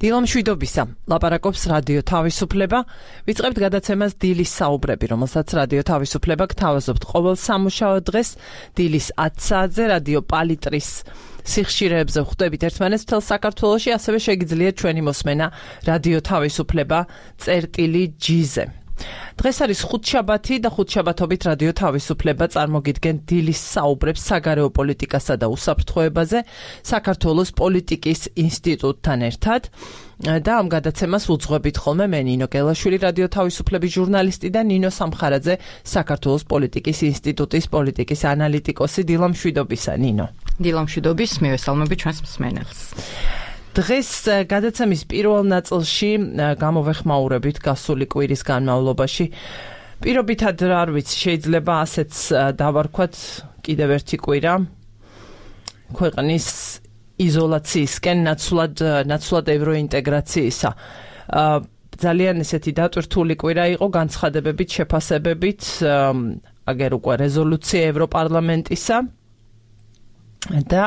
დილამშვიდობისა, ლაპარაკობს რადიო თავისუფლება. ვიწყებთ გადაცემას დილის საუბრები, რომელსაც რადიო თავისუფლება გთავაზობთ ყოველ სამუშაო დღეს დილის 10 საათზე რადიო პალიტრის სიხშირეებზე ხვდებით ერთმანეთს მთელ საქართველოში, ასევე შეგიძლიათ ჩვენი მოსმენა რადიო თავისუფლება წერტილი-G-ზე. დღეს არის ხუთშაბათი და ხუთშაბათობით რადიო თავისუფლება წარმოგიდგენ დილის საუბრებს საგარეო პოლიტიკასა და უსაფრთხოებაზე საქართველოს პოლიტიკის ინსტიტუტთან ერთად. და ამ გადაცემას უძღვებით ხოლმე მე ნინო გელაშვილი, რადიო თავისუფლების ჟურნალისტი და ნინო სამხარაძე, საქართველოს პოლიტიკის ინსტიტუტის პოლიტიკის ანალიტიკოსი. დილამშვიდობისა, ნინო. დილამშვიდობის, მივესალმები ჩვენს მსმენელს. დღეს გადაცემის პირველ ნაწილში გამოვეხმაურებით გასული კვირის განმავლობაში. პირობითად არ ვიცი, შეიძლება ასეც დავარქვათ კიდევ ერთი კვირა ქვეყნის იზოლაციისკენ ნაცვლად ევროინტეგრაციისა. ძალიან ესეთი დატვირთული კვირა იყო განცხადებებით, შეფასებებით, აგერ უკვე რეზოლუცია ევროპარლამენტისა და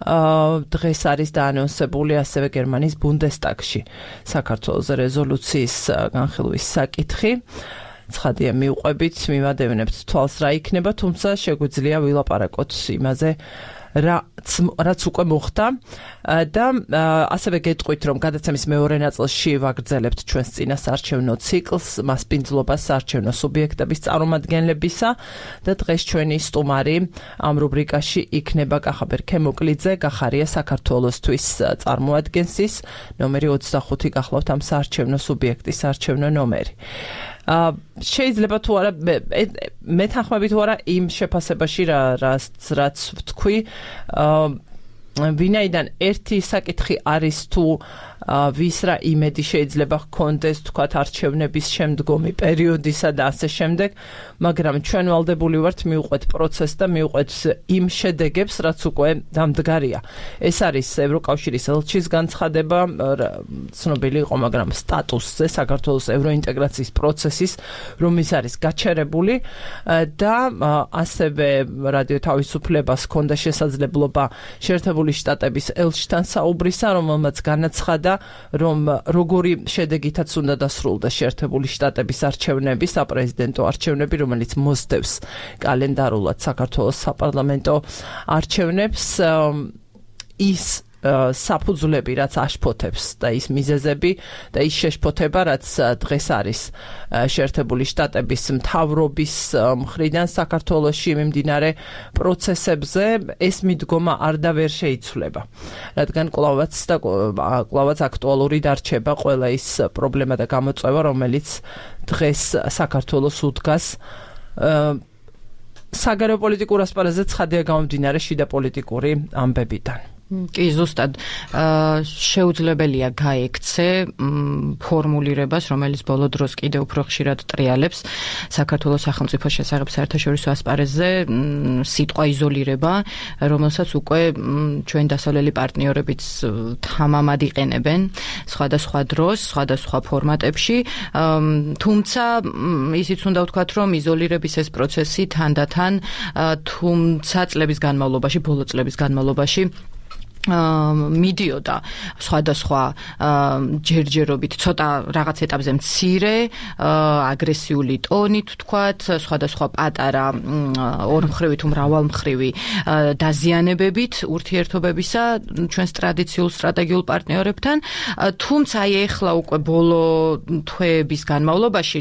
დღეს არის დაანონსებული ასევე გერმანიის ბუნდესტაგში საქართველოს რეზოლუციის განხილვის საკითხი. ცხადია მივყვებით, მივადევნებთ თვალს რა იქნება, თუმცა შეგვიძლია ვილაპარაკოთ იმაზე, რაც უკვე მოხდა და ასევე გეტყვით, რომ გადაცემის მეორე ნაწილში ვაგრძელებთ ჩვენს წინასაარჩევნო ციკლს, მასპინძლობას საარჩევნო სუბიექტების წარმომადგენლებისა და დღეს ჩვენი სტუმარი ამ რუბრიკაში იქნება კახაბერ ქემოკლიძე, გახარია საქართველოსთვის წარმოადგენს ის ნომერი 25 გახლავთ ამ საარჩევნო სუბიექტის საარჩევნო ნომერი. შეიძლება თუ არა მეთანხმებით თუ არა იმ შეფასებაში რაც ვთქვი, ვინაიდან ერთი საკითხი არის თუ ვის რა იმედი შეიძლება ჰქონდეს თქვათ არჩევნების შემდგომი პერიოდისა და ასე შემდეგ, მაგრამ ჩვენ ვალდებული ვართ მივყვეთ პროცესს და მივყვეთ იმ შედეგებს, რაც უკვე დამდგარია. ეს არის ევროკავშირის ელჩის განცხადება, ცნობილი იყო, მაგრამ სტატუსზე საქართველოს ევროინტეგრაციის პროცესის, რომ ის არის გაჩერებული და ასევე რადიო თავისუფლებას ჰქონდა შესაძლებლობა შეერთებული შტატების ელჩთან საუბრისა, რომელმაც განაცხადა, რომ როგორი შედეგითაც უნდა დასრულდა შეერთებული შტატების არჩევნები, საპრეზიდენტო არჩევნები, რომელიც მოსდევს კალენდარულად საქართველოს საპარლამენტო არჩევნებს, ის საფუძვლები, რაც აშფოთებს და ის მიზეზები და ის შეშფოთება, რაც დღეს არის შეერთებული შტატების მთავრობის მხრიდან საქართველოში მიმდინარე პროცესებზე, ეს მიდგომა არ და ვერ შეიცვლება, რადგან კვლავაც აქტუალური დარჩება ყველა ის პრობლემა და გამოწვევა, რომელიც დღეს საქართველოს უდგას საგარეო პოლიტიკურ ასპარეზზე ცხადია გამომდინარე შიდა პოლიტიკური ამბებიდან. კი, ზუსტად შეუძლებელია გაექცე ფორმულირებას, რომელიც ბოლო დროს კიდევ უფრო ხშირად ტრიალებს საქართველოს სახელმწიფოს შესახებ საერთაშორისო ასპარეზზე სიტყვა იზოლირება, რომელსაც უკვე ჩვენ დასავლელი პარტნიორებიც თამამად იყენებენ სხვადასხვა დროს, სხვადასხვა ფორმატებში, თუმცა ისიც უნდა ვთქვათ, რომ იზოლირების ეს პროცესი თანდათან, თუმცა წლების განმავლობაში, ბოლო წლების განმავლობაში მიდიოდა სხვადასხვა ჯერჯერობით, ცოტა რაღაც ეტაპზე მცირე, აგრესიული ტონით ვთქვათ, სხვადასხვა პატარა ორმხრივი თუ მრავალმხრივი დაზიანებებით ურთიერთობებისა ჩვენს ტრადიციულ სტრატეგიულ პარტნიორებთან, თუმცა აი ეხლა უკვე ბოლო თვეების განმავლობაში,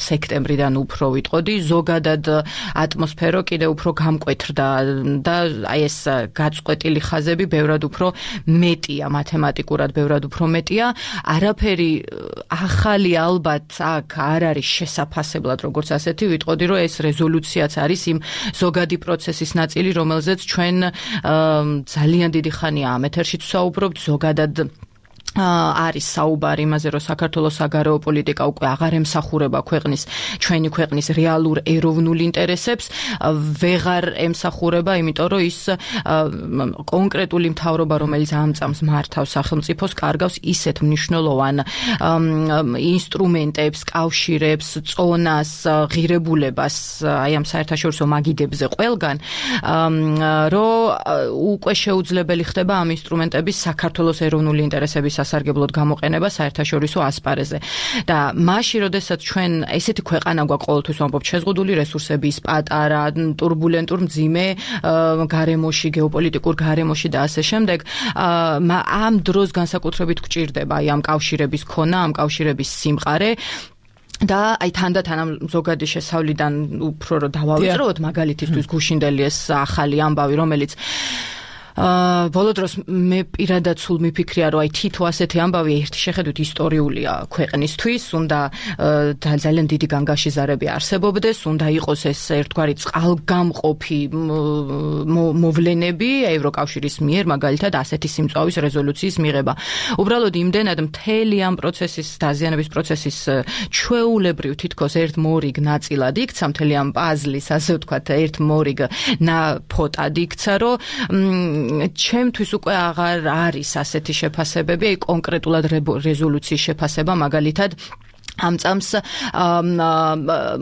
სექტემბრიდან უფრო ვიტყოდი, ზოგადად ატმოსფერო კიდევ უფრო გამკვეთრდა და აი ეს გაწყვეტილი ხაზები ბევრად უფრო მეტია, მათემატიკურად ბევრად უფრო მეტია. არაფერი ახალი ალბათ აქ არ არის შესაფასებლად, როგორც ასეთი ვიტყოდი, რომ ეს რეზოლუციაც არის იმ ზოგადი პროცესის ნაწილი, რომელზეც ჩვენ ძალიან დიდი ხანია ამ ეთერშიც ვსაუბრობთ, ზოგადად არის საუბარი იმაზე, რომ საქართველოს საგარეო პოლიტიკა უკვე აღარ ემსახურება ჩვენი ქვეყნის რეალურ ეროვნულ ინტერესებს, ვეღარ ემსახურება, იმიტომ რომ ის კონკრეტული მთავრობა, რომელიც ამწამს მართავს სახელმწიფოს, კარგავს ისეთ მნიშვნელოვან ინსტრუმენტებს, კავშირებს, წონას, ღირებულებას აი ამ საერთაშორისო მაგიდებზე ყველგან, რომ უკვე შეუძლებელი ხდება ამ ინსტრუმენტების საქართველოს ეროვნული ინტერესების სასარგებლოდ გამოყენება საერთაშორისო ასპარეზზე. და მაშინ, როდესაც ჩვენ ესეთი ქვეყანა გვაქვს ყოველთვის ვამბობთ შეზღუდული რესურსების, პატარა, турბულენტურ მძიმე გარემოში, გეოპოლიტიკურ გარემოში და ასე შემდეგ, ამ დროს განსაკუთრებით გვჭირდება აი ამ კავშირების ქონა, ამ კავშირების სიმყარე და აი თანდათან ამ ზოგადი შესავლიდან უფრო რომ დავავიწყოთ მაგალითისთვის გუშინდელი ეს ახალი ამბავი, რომელიც ბოლო დროს მე პირადად სულ მიფიქრია, რომ აი თითო ასეთი ამბავი ერთი შეხედვით ისტორიულია ქვეყნისთვის, უნდა ძალიან დიდი განგაშიზარები არსებობდეს, უნდა იყოს ეს ერთგვარი წყალგამყოფი მოვლენები ევროკავშირის მიერ, მაგალითად ასეთი სიმწვავის რეზოლუციის მიღება. უბრალოდ იმდენად მთელი ამ პროცესის, დაზიანების პროცესის ჩვეულებრივ თითქოს ერთ მორიგ ნაწილად იქცა, მთელი ამ პაზლის, ასე ვთქვათ, ერთ მორიგ ფოტად იქცა, რომ ჩემთვის უკვე აღარ არის ასეთი შეფასებები, აი კონკრეტულად რეზოლუციის შეფასება, მაგალითად ამ წამს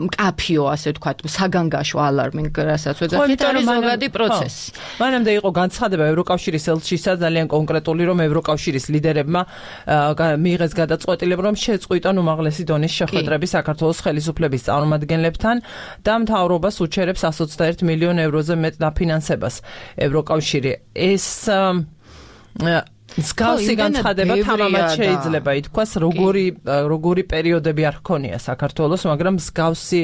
მკაფიო, ასე ვთქვათ, საგანგაშო ალარმინგ, რასაც ვეძახით, არის ზოგადი პროცესი. მანამდე იყო განცხადება ევროკავშირის ელჩისა ძალიან კონკრეტული, რომ ევროკავშირის ლიდერებმა მიიღეს გადაწყვეტილება, რომ შეწყვიტონ უმაღლესი დონის შეხვედრები საქართველოს ხელისუფლების წარმომადგენლებთან და მთავრობას უჩერებს 121 მილიონ ევროზე მეტ დაფინანსებას. ევროკავშირი ეს მსგავსი განცხადება თამამად შეიძლება ითქვას, როგორი პერიოდები არ ჰქონია საქართველოს, მაგრამ მსგავსი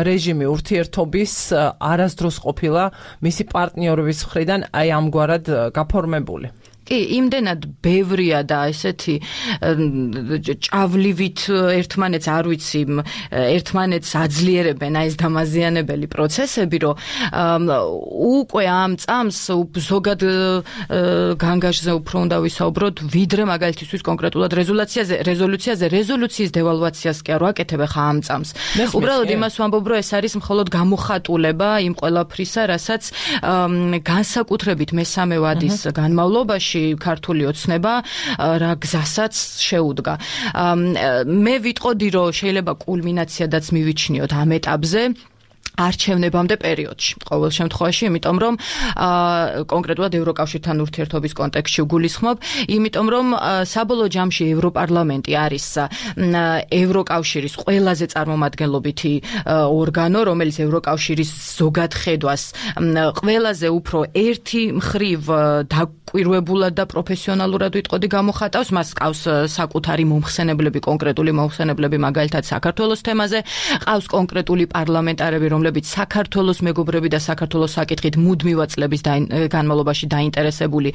რეჟიმი ურთიერთობის არასდროს ყოფილა მისი პარტნიორების მხრიდან აი ამგვარად გაფორმებული. კი, იმდენად ბევრია და ესეთი ჭავლივით ერთმანეთს არ ვიცი, ერთმანეთს აძლიერებენ აი ეს დამაზიანებელი პროცესები, რომ უკვე ამ წამს ზოგად განგაშზე უფრო უნდა ვისაუბროთ, ვიდრე მაგალითისთვის კონკრეტულად რეზოლუციის დევალვაციას კი არ ვაკეთებ ხა ამ წამს. უბრალოდ იმას ვამბობ, რომ ეს არის მხოლოდ გამოხატულება იმ ყველაფრისა, რასაც განსაკუთრებით მესამე ვადის განმავლობაში ქართული ოცნება რა გზასაც შეუდგა. მე ვიტყოდი, რომ შეიძლება კულმინაციადაც მივიჩნიოთ ამ ეტაპზე არჩევნებამდე პერიოდში. ყოველ შემთხვევაში, იმიტომ რომ კონკრეტულად ევროკავშირთან ურთიერთობის კონტექსტში ვგულისხმობ, იმიტომ რომ საბოლოო ჯამში ევროპარლამენტი არის ევროკავშირის ყველაზე წარმომადგენლობითი ორგანო, რომელიც ევროკავშირის ზოგადხედვას ყველაზე უფრო ერთი მხრივ დაკვირვებულად და პროფესიონალურად ვიტყოდი გამოხატავს, მას ყავს საკუთარი მომხსენებლები, კონკრეტული მომხსენებლები, მაგალითად საქართველოს თემაზე, ყავს კონკრეტული პარლამენტარები, რომლებიც საქართველოს მეგობრები და საქართველოს საკითხით მუდმივად წლების განმავლობაში დაინტერესებული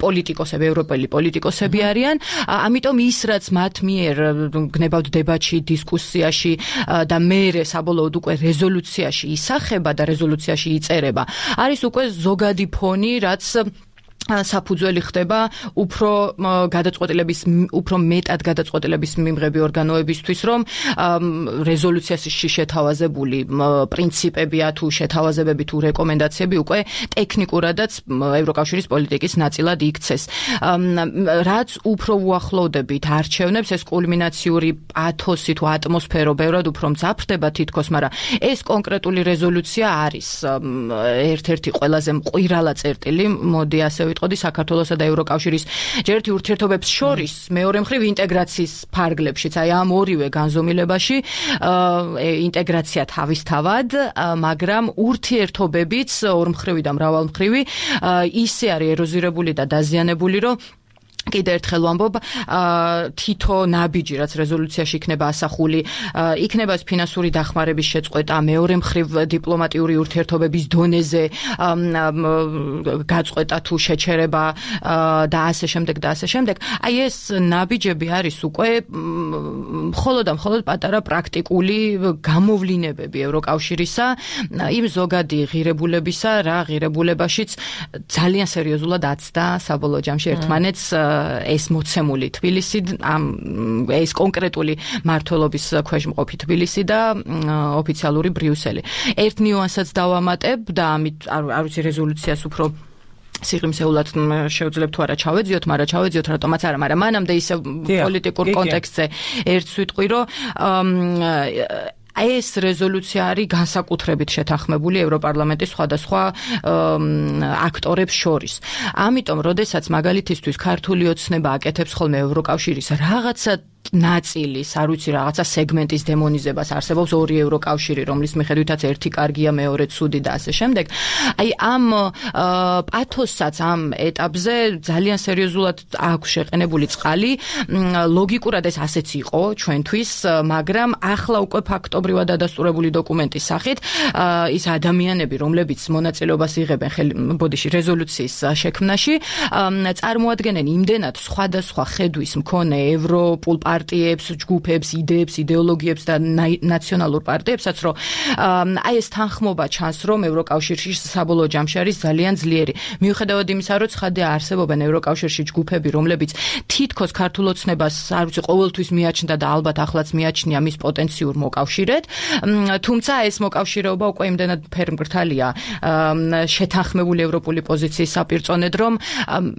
პოლიტიკოსები, ევროპელი პოლიტიკოსები არიან. ამიტომ ის, რაც მათ მიერ გნებავთ დებატში, დისკუსიაში და მერე საბოლოოდ უკვე რეზოლუციაში ისახება და რეზოლუციაში იწერება, არის უკვე ზოგადი ფონი, რაც საფუძველი ხდება უფრო მეტად გადაწყვეტილების მიმღები ორგანოებისთვის, რომ რეზოლუციაში შეთავაზებული პრინციპებია თუ შეთავაზებები თუ რეკომენდაციები უკვე ტექნიკურადაც ევროკავშირის პოლიტიკის ნაწილად იქცეს. რაც უფრო უახლოვდებით არჩევნებს, ეს კულმინაციური პათოსი თუ ატმოსფერო ბევრად უფრო მძაფრდება თითქოს, მაგრამ ეს კონკრეტული რეზოლუცია არის ერთ-ერთი ყველაზე მყირალა წერტილი, მოდი ასე ვიტყოდი, საქართველოსა და ევროკავშირის ჯერთი ურთიერთობებს შორის მეორე მხრივ ინტეგრაციის ფარგლებშიც, აი ამ ორივე განზომილებაში ინტეგრაცია თავისთავად, მაგრამ ურთიერთობებიც ორმხრივი და მრავალმხრივი ისე არის ეროზირებული და დაზიანებული, რომ კიდევ ერთხელ ვამბობ, თითო ნაბიჯი, რაც რეზოლუციაში იქნება ასახული, იქნება ფინანსური დახმარების შეწყვეტა, მეორე მხრივ დიპლომატიური ურთიერთობების დონეზე გაწყვეტა თუ შეჩერება და ასე შემდეგ და ასე შემდეგ. აი ეს ნაბიჯები არის უკვე მხოლოდ პატარა პრაქტიკული გამოვლინებები ევროკავშირისა, იმ ზოგადი ღირებულებისა, რა ღირებულებაშიც ძალიან სერიოზულად აცდა საბოლოო ჯამში ერთმანეთს ეს მოცემული თბილისი, ეს კონკრეტული მმართველობის ქვეშ მყოფი თბილისი და ოფიციალური ბრიუსელი. ერთ ნიუანსაც დავამატებ და ამით არ ვიცი რეზოლუციას უფრო სიღრმისეულად შევძლებთ თუ არა ჩავეძიოთ, მაგრამ ჩავეძიოთ რატომაც არა, მაგრამ მანამდე ისე პოლიტიკურ კონტექსტზე ერთს ვიტყვი, რომ ეს რეზოლუცია არის განსაკუთრებით შეთანხმებული ევროპარლამენტის სხვადასხვა აქტორებს შორის. ამიტომ, როდესაც მაგალითისთვის ქართული ოცნება აკეთებს ხოლმე ევროკავშირის რაღაცა ნაწილის, არ ვიცი, რაღაცა სეგმენტის დემონიზებას, არსებობს ორი ევროკავშირი, რომლის მიხედვითაც ერთი კარგია, მეორე ცუდი და ასე შემდეგ. აი ამ პათოსსაც ამ ეტაპზე ძალიან სერიოზულად აქვს შეყენებული წყალი. ლოგიკურად ეს ასეც იყო ჩვენთვის, მაგრამ ახლა უკვე ფაქტობრივად დადასტურებული დოკუმენტის სახით ის ადამიანები, რომლებიც მონაწილეობას იღებენ რეზოლუციის შექმნაში, წარმოადგენენ იმდენად სხვადასხვა ხედვის მქონე ევროპულ პარტიებს, ჯგუფებს, იდეებს, იდეოლოგიებს და ნაციონალურ პარტიებსაც, რომ აი ეს თანხმობა ჩანს, რომ ევროკავშირში საბოლოო ჯამში არის ძალიან ძლიერი. მიუხედავად იმისა, რომ ცხადია არსებობენ ევროკავშირში ჯგუფები, რომლებიც თითქოს ქართულ ოცნებას, არ ვიცი, ყოველთვის მიაჩნდა და ალბათ ახლაც მიაჩნია მის პოტენციურ მოკავშირედ, თუმცა ეს მოკავშირეობა უკვე იმდენად ფერმკრთალია შეთანხმებული ევროპული პოზიციის საპირწონედ, რომ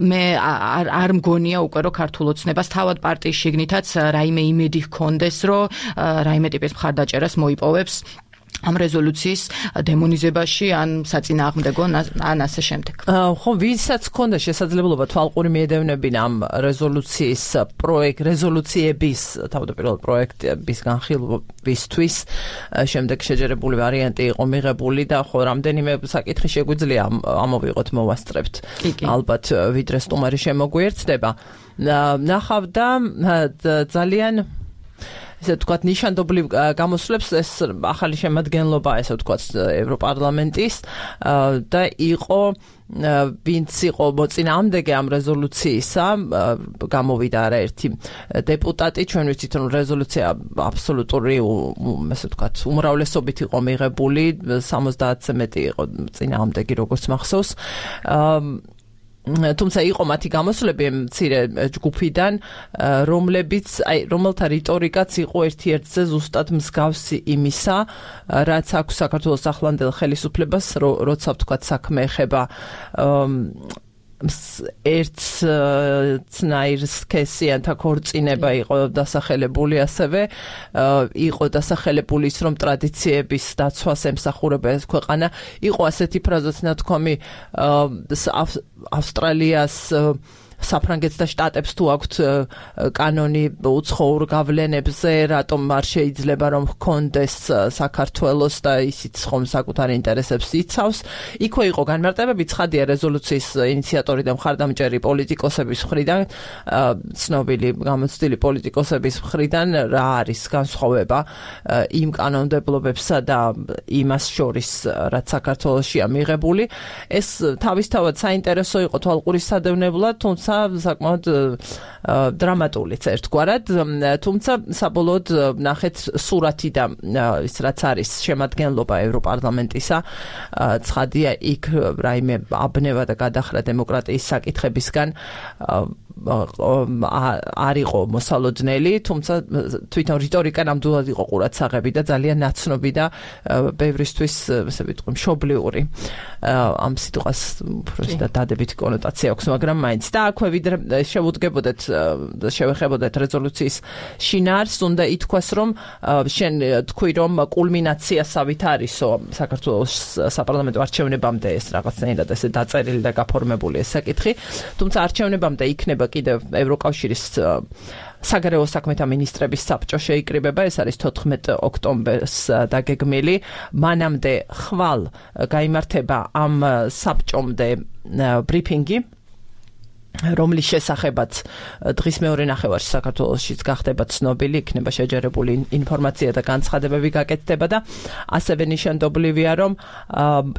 მე არ მგონია უკვე, რომ ქართულ ოცნებას თავად პარტიის შიგნითაც რაიმე იმედი ჰქონდეს, რომ რაიმე ტიპის მხარდაჭერას მოიპოვებს ამ რეზოლუციის დემონიზებაში ან საწინააღმდეგო ან ასე შემდეგ. ხო, ვისაც ჰქონდა შესაძლებლობა თვალყური მიედევნებინა ამ რეზოლუციების თავდაპირველ პროექტების განხილვისთვის, შემდეგ შეჯერებული ვარიანტი იყო მიღებული და ხო რამდენიმე საკითხი შეგვიძლია ამოვიღოთ, მოვასწრებთ. ალბათ ვიდრე სტუმარი შემოგვიერთდება. ნახავდა ძალიან ესე ვთქვათ, ნიშანდობლივ გამოსვლებს ეს ახალი შემადგენლობა, ესე ვთქვათ, ევროპარლამენტის და იყო ვინც იყო მოწინააღმდეგე ამ რეზოლუციისა, გამოვიდა არაერთი დეპუტატი, ჩვენ ვიცით, რომ რეზოლუცია აბსოლუტური, ესე ვთქვათ, უმრავლესობით იყო მიღებული, 70-ზე მეტი იყო წინააღმდეგი, როგორც მახსოვს. თუმცა იყო მათი გამოსვლები მცირე ჯგუფიდან, რომელთა რიტორიკაც იყო ერთ-ერთზე ზუსტად მსგავსი იმისა, რაც აქვს საქართველოს ახლანდელ ხელისუფლებას, როცა ვთქვათ საქმე ეხება ერთნაირ სქესიანთა ქორწინება იყო დასახელებული, ასევე იყო დასახელებული ის, რომ ტრადიციების დაცვას ემსახურება ეს ქვეყანა. იყო ასეთი ფრაზაც ნათქვამი ავსტრალიას, საფრანგეთს და შტატებს თუ აქვთ კანონი უცხოურ გავლენებზე, რატომ არ შეიძლება რომ ჰქონდეს საქართველოს და ისიც ხომ საკუთარ ინტერესებს იცავს. იქვე იყო განმარტებები, ცხადია რეზოლუციის ინიციატორი და მხარდამჭერი პოლიტიკოსების მხრიდან, ცნობილი გამოცდილი პოლიტიკოსების მხრიდან, რა არის განსხვავება იმ კანონმდებლობებსა და იმას შორის, რაც საქართველოსშია მიღებული. ეს თავისთავად საინტერესო იყო თვალყურის სადევნებლად, თუმცა საკმაოდ დრამატულიც ერთგვარად, თუმცა საბოლოოდ ნახეთ სურათი და ის რაც არის შემადგენლობა ევროპარლამენტისა, ცხადია იქ რაიმე აბნევა და გადახრა დემოკრატიის საკითხებისგან არ იყო მოსალოდნელი, თუმცა თვითონ რიტორიკა ნამდვილად იყო ყურადსაღები და ძალიან ნაცნობი და ბევრისთვის, ესე ვიტყვი, მშობლიური. ამ სიტყვას უბრალოდ დადებითი კონოტაცია აქვს, მაგრამ მაინც და აქვე ვიდრე შევეხებოდეთ რეზოლუციის შინაარსს, უნდა ითქვას, რომ შენ თქვი, რომ კულმინაციასავით არისო საქართველოს საპარლამენტო არჩევნებამდე ეს რაღაცნაირად ესე დაწერილი და გაფორმებული ეს საკითხი, თუმცა არჩევნებამდე იქნება კიდევ ევროკავშირის საგარეო საქმეთა მინისტრების საბჭო შეიკრიბება, ეს არის 14 ოქტომბერს დაგეგმილი. მანამდე ხვალ გაიმართება ამ საბჭომდე ბრიფინგი, რომლის შესახებაც დღის მეორე ნახევარში საქართველოშიც გახდება ცნობილი, იქნება შეჯერებული ინფორმაცია და განცხადებები გაკეთდება და ასევე ნიშანდობლივია, რომ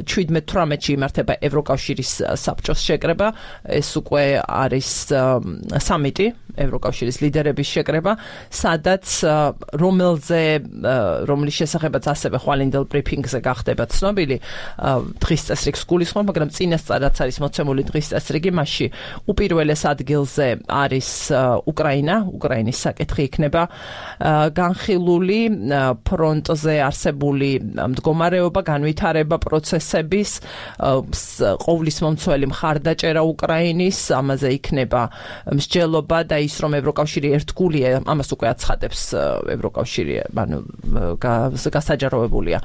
17-18-ში იმართება ევროკავშირის საბჭოს შეკრება, ეს უკვე არის სამიტი, ევროკავშირის ლიდერების შეკრება, სადაც რომლის შესახებაც ასევე ხვალინდელ ბრიფინგზე გახდება ცნობილი დღის წესრიგს გულისხმობ, მაგრამ წინასწარ რაც არის მოცემული დღის წესრიგი, მასში უპირველეს ადგილზე არის უკრაინის საკითხი იქნება განხილული ფრონტზე არსებული მდგომარეობა, განვითარება პროცესების, ყოვლის მომცველი მხარდაჭერა უკრაინის, ამაზე იქნება მსჯელობა და ის რომ ევროკავშირი ერთგულია, ამას უკვე აცხადებს ევროკავშირი, ანუ გასაჯაროებულია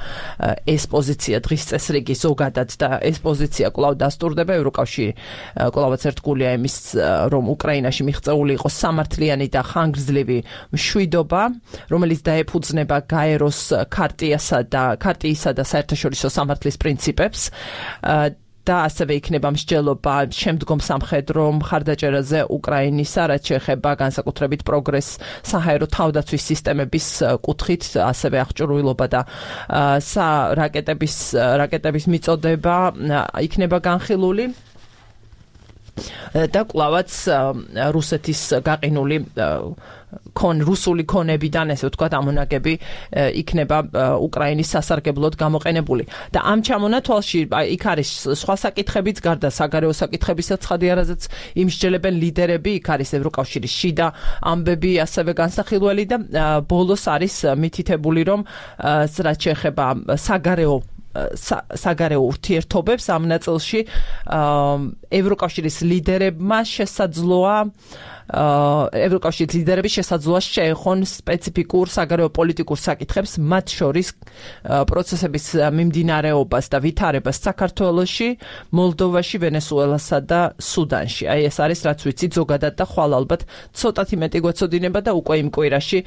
ეს პოზიცია დღის წესრიგი ზოგადად და ეს პოზიცია კვლავ დასტურდება. ევროკავშირი კვლავაც ერთგულია იმის რომ უკრაინაში მიღწეული იყოს სამართლიანი და ხანგრძლივი მშვიდობა, რომელიც დაეფუძნება გაეროს ქარტიისა და საერთაშორისო სამართლის პრინციპებს და ასევე იქნება მსჯელობა შემდგომ სამხედრო მხარდაჭერაზე უკრაინისა, რაც შეეხება განსაკუთრებით პროგრესს საჰაერო თავდაცვის სისტემების კუთხით, ასევე აღჭურვილობა და რაკეტების მიწოდება იქნება განხილული. და კვლავაც რუსეთის გაყინული რუსული ქონებიდან, ესე ვთქვათ, ამონაგები იქნება უკრაინის სასარგებლოდ გამოყენებული. და ამ ჩამონათვალში იქ არის სხვა საკითხებიც, გარდა საგარეო საკითხებისა, ცხადიარაზეც იმსჯელებენ ლიდერები, იქ არის ევროკავშირის შიდა ამბები, ასევე განსახილველი და ბოლოს არის მითითებული, რომ რაც შეეხება საგარეო ურთიერთობებს ამ ნაწილში ევროკავშირის ლიდერებმა შესაძლოა ევროკავშირის ლიდერები შესაძლოა შეეხონ სპეციფიკურ საგარეო პოლიტიკურ საკითხებს, მათ შორის პროცესების მიმდინარეობას და ვითარებას საქართველოში, მოლდოვაში, ვენესუელასა და სუდანში. აი ეს არის რაც ვიცით ზოგადად და ხვალ ალბათ ცოტათი მეტი გვეცოდინება და უკვე იმ კვირაში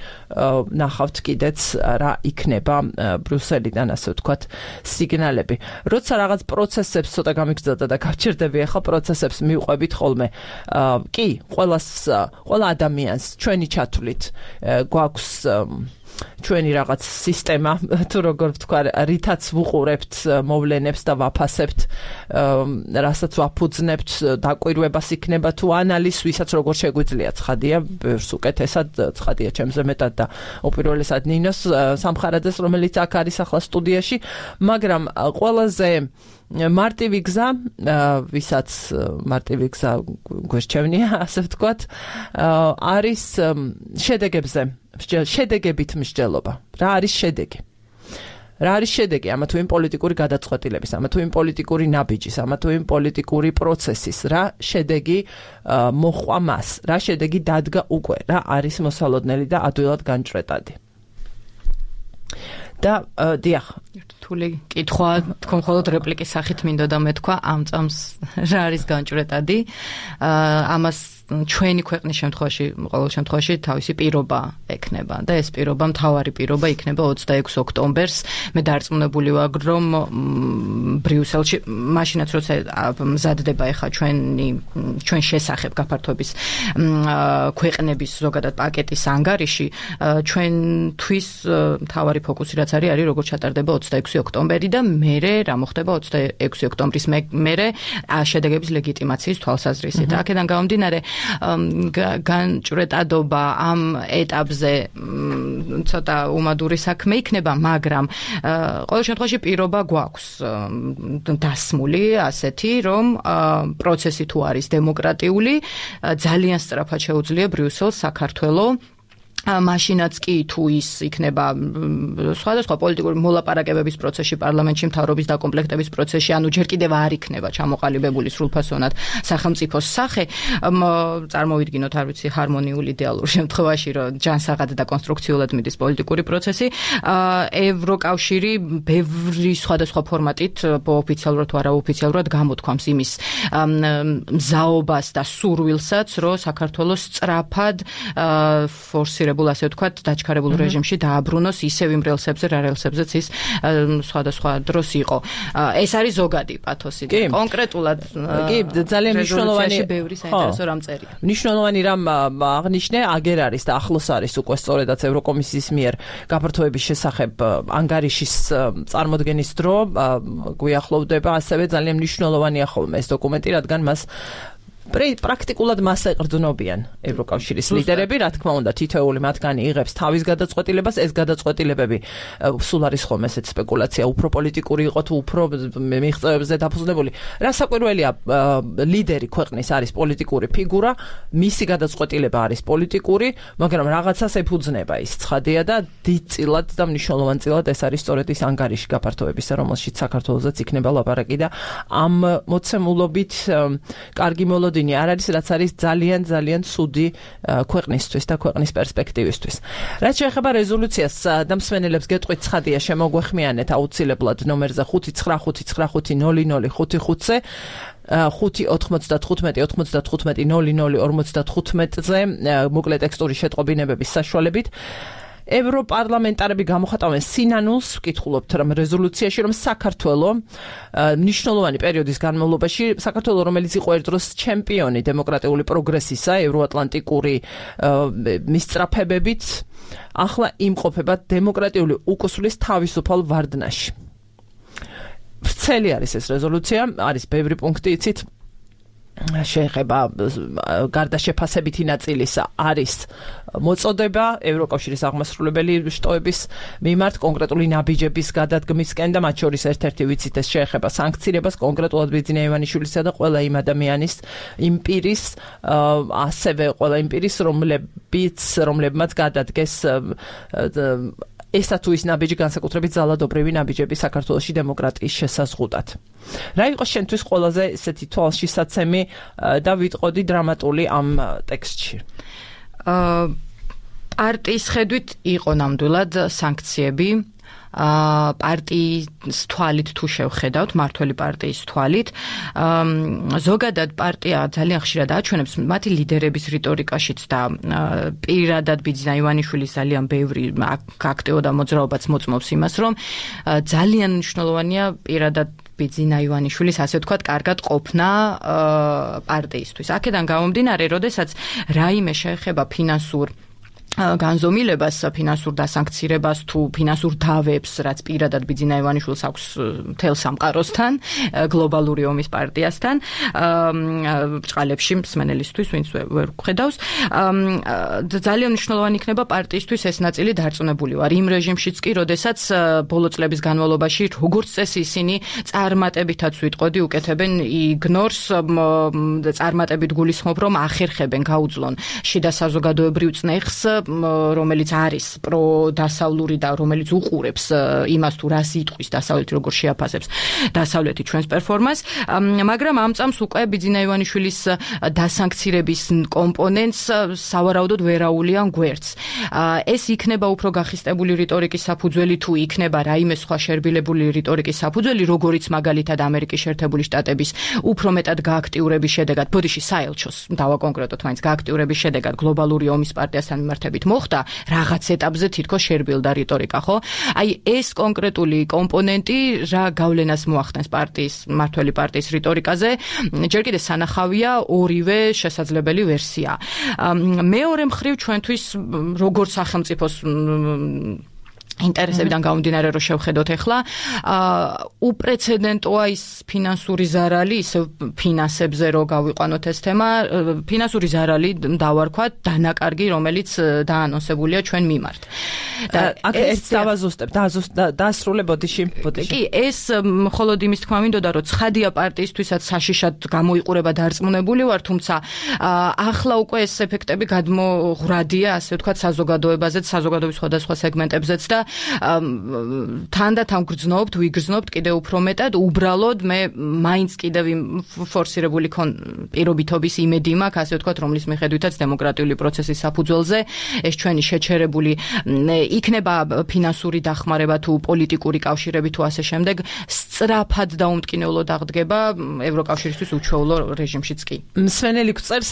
ნახავთ კიდეც რა იქნება ბრიუსელიდან, ასე ვთქვათ, სიგნალები. როცა რაღაც პროცესებს ცოტა გამიგზავნა და გავჩერდები ახლა პროცესებს მივყვებით ხოლმე. კი, ყველა ადამიანს ჩვენი ჩათვლით გვაქვს ჩვენი რაღაც სისტემა, თუ როგორ ვთქვა, რითაც ვუყურებთ მოვლენებს და ვაფასებთ, რასაც ვაფუძნებთ, დაკვირვებას იქნება თუ ანალიზს, ვისაც როგორ შეგვიძლია, ცხადია, ბევრს უკეთესად, ცხადია ჩემზე მეტად და უპირველესად ნინოს სამხარაძეს, რომელიც აქ არის ახლა სტუდიაში, მაგრამ ყველაზე მარტივი გზა, ვისაც მარტივი გზა გვერჩევნია, ასე ვთქვათ, არის შედეგებით მსჯელობა. რა არის შედეგი? რა არის შედეგი ამა თუ იმ პოლიტიკური გადაწყვეტილების, ამა თუ იმ პოლიტიკური ნაბიჯის, ამა თუ იმ პოლიტიკური პროცესის, რა შედეგი მოჰყვა მას, რა შედეგი დადგა უკვე, რა არის მოსალოდნელი და ადვილად განჭრეტადი. და დიახ, რთული კითხვა, თქო მხოლოდ რეპლიკის სახით მინდოდა მეთქვა, ამ წამს რა არის განჭრეტადი? ამას ჩვენი ქვეყნის შემთხვევაში, ყოველ შემთხვევაში თავისი პირობა ექნება და ეს პირობა, მთავარი პირობა იქნება 26 ოქტომბერს. მე დარწმუნებული ვარ, რომ ბრიუსელში, მაშინაც როცა მზადდება ახლა ჩვენ შესახებ გაფართოების ქვეყნების ზოგადად პაკეტის ანგარიში, ჩვენთვის მთავარი ფოკუსი რაც არის როგორ ჩატარდება 26 ოქტომბერი და მერე რა მოხდება 26 ოქტომბრის მერე შედეგების ლეგიტიმაციის თვალსაზრისით. აქედან გამომდინარე განჭრეტადობა ამ ეტაპზე ცოტა უმადური საქმე იქნება, მაგრამ ყოველ შემთხვევაში პირობა გვაქვს დასმული ასეთი, რომ პროცესი თუ არის დემოკრატიული, ძალიან სწრაფად შეუძლია ბრიუსელს საქართველოს მაშინაც კი თუ ის იქნება სხვადასხვა პოლიტიკური მოლაპარაკებების პროცესში, პარლამენტში მთავრობის დაკომპლექტების პროცესში, ანუ ჯერ კიდევ არ იქნება ჩამოყალიბებული სრულფასოვნად სახელმწიფოს სახე, წარმოვიდგინოთ, არ ვიცი, ჰარმონიული იდეალურ შემთხვევაში, რომ ჯანსაღად და კონსტრუქციულად მიდის პოლიტიკური პროცესი, ევროკავშირი ბევრი სხვადასხვა ფორმატით, ოფიციალურად თუ არაოფიციალურად გამოთქვამს იმის მზაობას და სურვილსაც, რომ საქართველოს სწრაფად ფორსირებული ასე ვთქვათ, დაჩქარებულ რეჟიმში დააბრუნოს ისევ იმ რელსებზე, რა რელსებზეც ის სხვადასხვა დროს იყო. ეს არის ზოგადი პათოსი. კონკრეტულად კი, ძალიან მნიშვნელოვანი ბევრი საინტერესო რამ წერია. მნიშვნელოვანი რამ აღნიშნე, აგერ არის და ახლოს არის უკვე სწორედაც ევროკომისიის მიერ გაფართოების შესახებ ანგარიშის წარმოდგენის დრო, გვიახლოვდება ასევე ძალიან მნიშვნელოვანია ხოლმე ეს დოკუმენტი, რადგან მას პრაქტიკულად მას ეყრდნობიან ევროკავშირის ლიდერები, რა თქმა უნდა, თითოეული მათგანი იღებს თავის გადაწყვეტილებას, ეს გადაწყვეტილებები სულ არის ხომ ესეც სპეკულაცია, უფრო პოლიტიკური იყო თუ უფრო მიღწევებზე დაფუძნებული. რა საკვირველია, ლიდერი ქვეყნის არის პოლიტიკური ფიგურა, მისი გადაწყვეტილება არის პოლიტიკური, მაგრამ რაღაცას ეფუძნება ის ცხადია და დიდწილად და მნიშვნელოვანწილად ეს არის სწორედ ის ანგარიში გაფართოებისა, რომელშიც საქართველოსაც იქნება ლაპარაკი და ამ მოცემულობით კარგი მოლოდინი არ არის, რაც არის ძალიან ცუდი ქვეყნისთვის და ქვეყნის პერსპექტივისთვის. რაც შეეხება რეზოლუციას და მსმენელებს გეტყვით, ცხადია, შემოგვეხმიანეთ აუცილებლად ნომერზე 599500555-ზე 5-95-95-00-55-ზე მოკლე ტექსტური შეტყობინებების საშუალებით. ევროპარლამენტარები გამოხატავენ სინანულს, ვკითხულობთ რომ რეზოლუციაში, რომ საქართველო მნიშვნელოვანი პერიოდის განმავლობაში, საქართველო რომელიც იყო ერთდროს ჩემპიონი დემოკრატიული პროგრესისა, ევროატლანტიკური მისწრაფებებით, ახლა იმყოფება დემოკრატიული უკუსვლის თავისუფალ ვარდნაში. ვრცელი არის ეს რეზოლუცია, არის ბევრი პუნქტი, იცით, შეეხება გარდა შეფასებითი ნაწილის არის მოწოდება ევროკავშირის აღმასრულებელი შტოების მიმართ კონკრეტული ნაბიჯების გადადგმისკენ და მათ შორის ერთ-ერთი ვიცით ეს შეეხება სანქციებას კონკრეტულად ბიძინა ივანიშვილისა და ყველა იმ ადამიანის იმ პირის ასევე ყველა იმ პირის რომლებმაც გადადგეს ესა თუ ის ნაბიჯი განსაკუთრებით ძალადობრივი ნაბიჯები საქართველოში დემოკრატიის შესაზღუდად. რა იყო შენთვის ყველაზე ესეთი თვალშისაცემი და ვიტყოდი დრამატული ამ ტექსტში? პარტიის ხედვით იყო ნამდვილად სანქციები. პარტიის თვალით თუ შევხედავთ, მართველი პარტიის თვალით, ზოგადად პარტია ძალიან ხშირად აჩვენებს მათი ლიდერების რიტორიკაშიც და პირადად ბიძინა ივანიშვილის ძალიან ბევრი აქტიო და მოძრაობაც მოწმობს იმას, რომ ძალიან მნიშვნელოვანია პირადად ბიძინა ივანიშვილის, ასე ვთქვათ, კარგად ყოფნა პარტიისთვის. აქედან გამომდინარე, როდესაც რაიმე შეეხება ფინანსურ განზომილებას, ფინანსურ დასანქცირებას თუ ფინანსურ დავებს, რაც პირადად ბიძინა ივანიშვილს აქვს მთელ სამყაროსთან, გლობალური ომის პარტიასთან, ბრჭყალებში მსმენელისთვის, ვინც ვერ გხედავს, ძალიან მნიშვნელოვანი იქნება პარტიისთვის ეს ნაწილი დარწმუნებული ვარ. იმ რეჟიმშიც კი, როდესაც ბოლო წლების განმავლობაში, როგორც წესი, ისინი წარმატებითაც ვიტყოდი, უკეთებენ იგნორს, წარმატებით გულისხმობ, რომ ახერხებენ, გაუძლონ შიდა საზოგადოებრივ წნეხს, რომელიც არის პროდასავლური და რომელიც უყურებს იმას თუ რას იტყვის დასავლეთი, როგორ შეაფასებს დასავლეთი ჩვენს პერფორმანსს, მაგრამ ამ წამს უკვე ბიძინა ივანიშვილის დასანქცირების კომპონენტს სავარაუდოდ ვერაულიან გვერდს. ეს იქნება უფრო გახისტებული რიტორიკის საფუძველი თუ იქნება რაიმე სხვა შერბილებული რიტორიკის საფუძველი, როგორიც მაგალითად ამერიკის შეერთებული შტატების უფრო მეტად გააქტიურების შედეგად, ბოდიში საელჩოს დავაკონკრეტოთ მაინც გააქტიურების შედეგად გლობალური ომის პარტიასთან მიმართებით მოხდა, რაღაც ეტაპზე თითქოს შერბილდა რიტორიკა, ხო? აი ეს კონკრეტული კომპონენტი რა გავლენას მოახდენს პარტიის, მართველი პარტიის რიტორიკაზე, ჯერ კიდევ სანახავია ორივე შესაძლებელი ვერსია. მეორე მხრივ ჩვენთვის როგორც სახელმწიფოს ინტერესებიდან გამომდინარე რომ შევხედოთ ახლა, უპრეცედენტოა ის ფინანსური ზარალი, ისე ფინანსებზე რო გავიყვანოთ ეს თემა, ფინანსური ზარალი დავარქვათ დანაკარგი, რომელიც დაანონსებულია ჩვენ მიმართ. და აქ ეს დავაზუსტებ, დაასრულე ბოდიში. კი, ეს მხოლოდ იმის თქმა მინდოდა, რომ ცხადია პარტიისთვისაც საშიშად გამოიყურება დარწმუნებული ვარ, თუმცა ახლა უკვე ეს ეფექტები გადმოღრადია, ასე ვთქვათ, საზოგადოებაზეც, საზოგადოების სხვადასხვა სეგმენტებზეც და თან და თან ვიგრძნობთ კიდევ უფრო მეტად, უბრალოდ მე მაინც კიდევ ფორსირებული პირობითობის იმედი მაქვს, ასე ვთქვათ, რომლის მიხედვითაც დემოკრატიული პროცესის საფუძველზე ეს ჩვენი შეჩერებული იქნება ფინანსური დახმარება თუ პოლიტიკური კავშირები თუ ასე შემდეგ, სწრაფად და უმტკინეულოდ აღდგება ევროკავშირისთვის უჩვეულო რეჟიმშიც კი. მსმენელი გწერს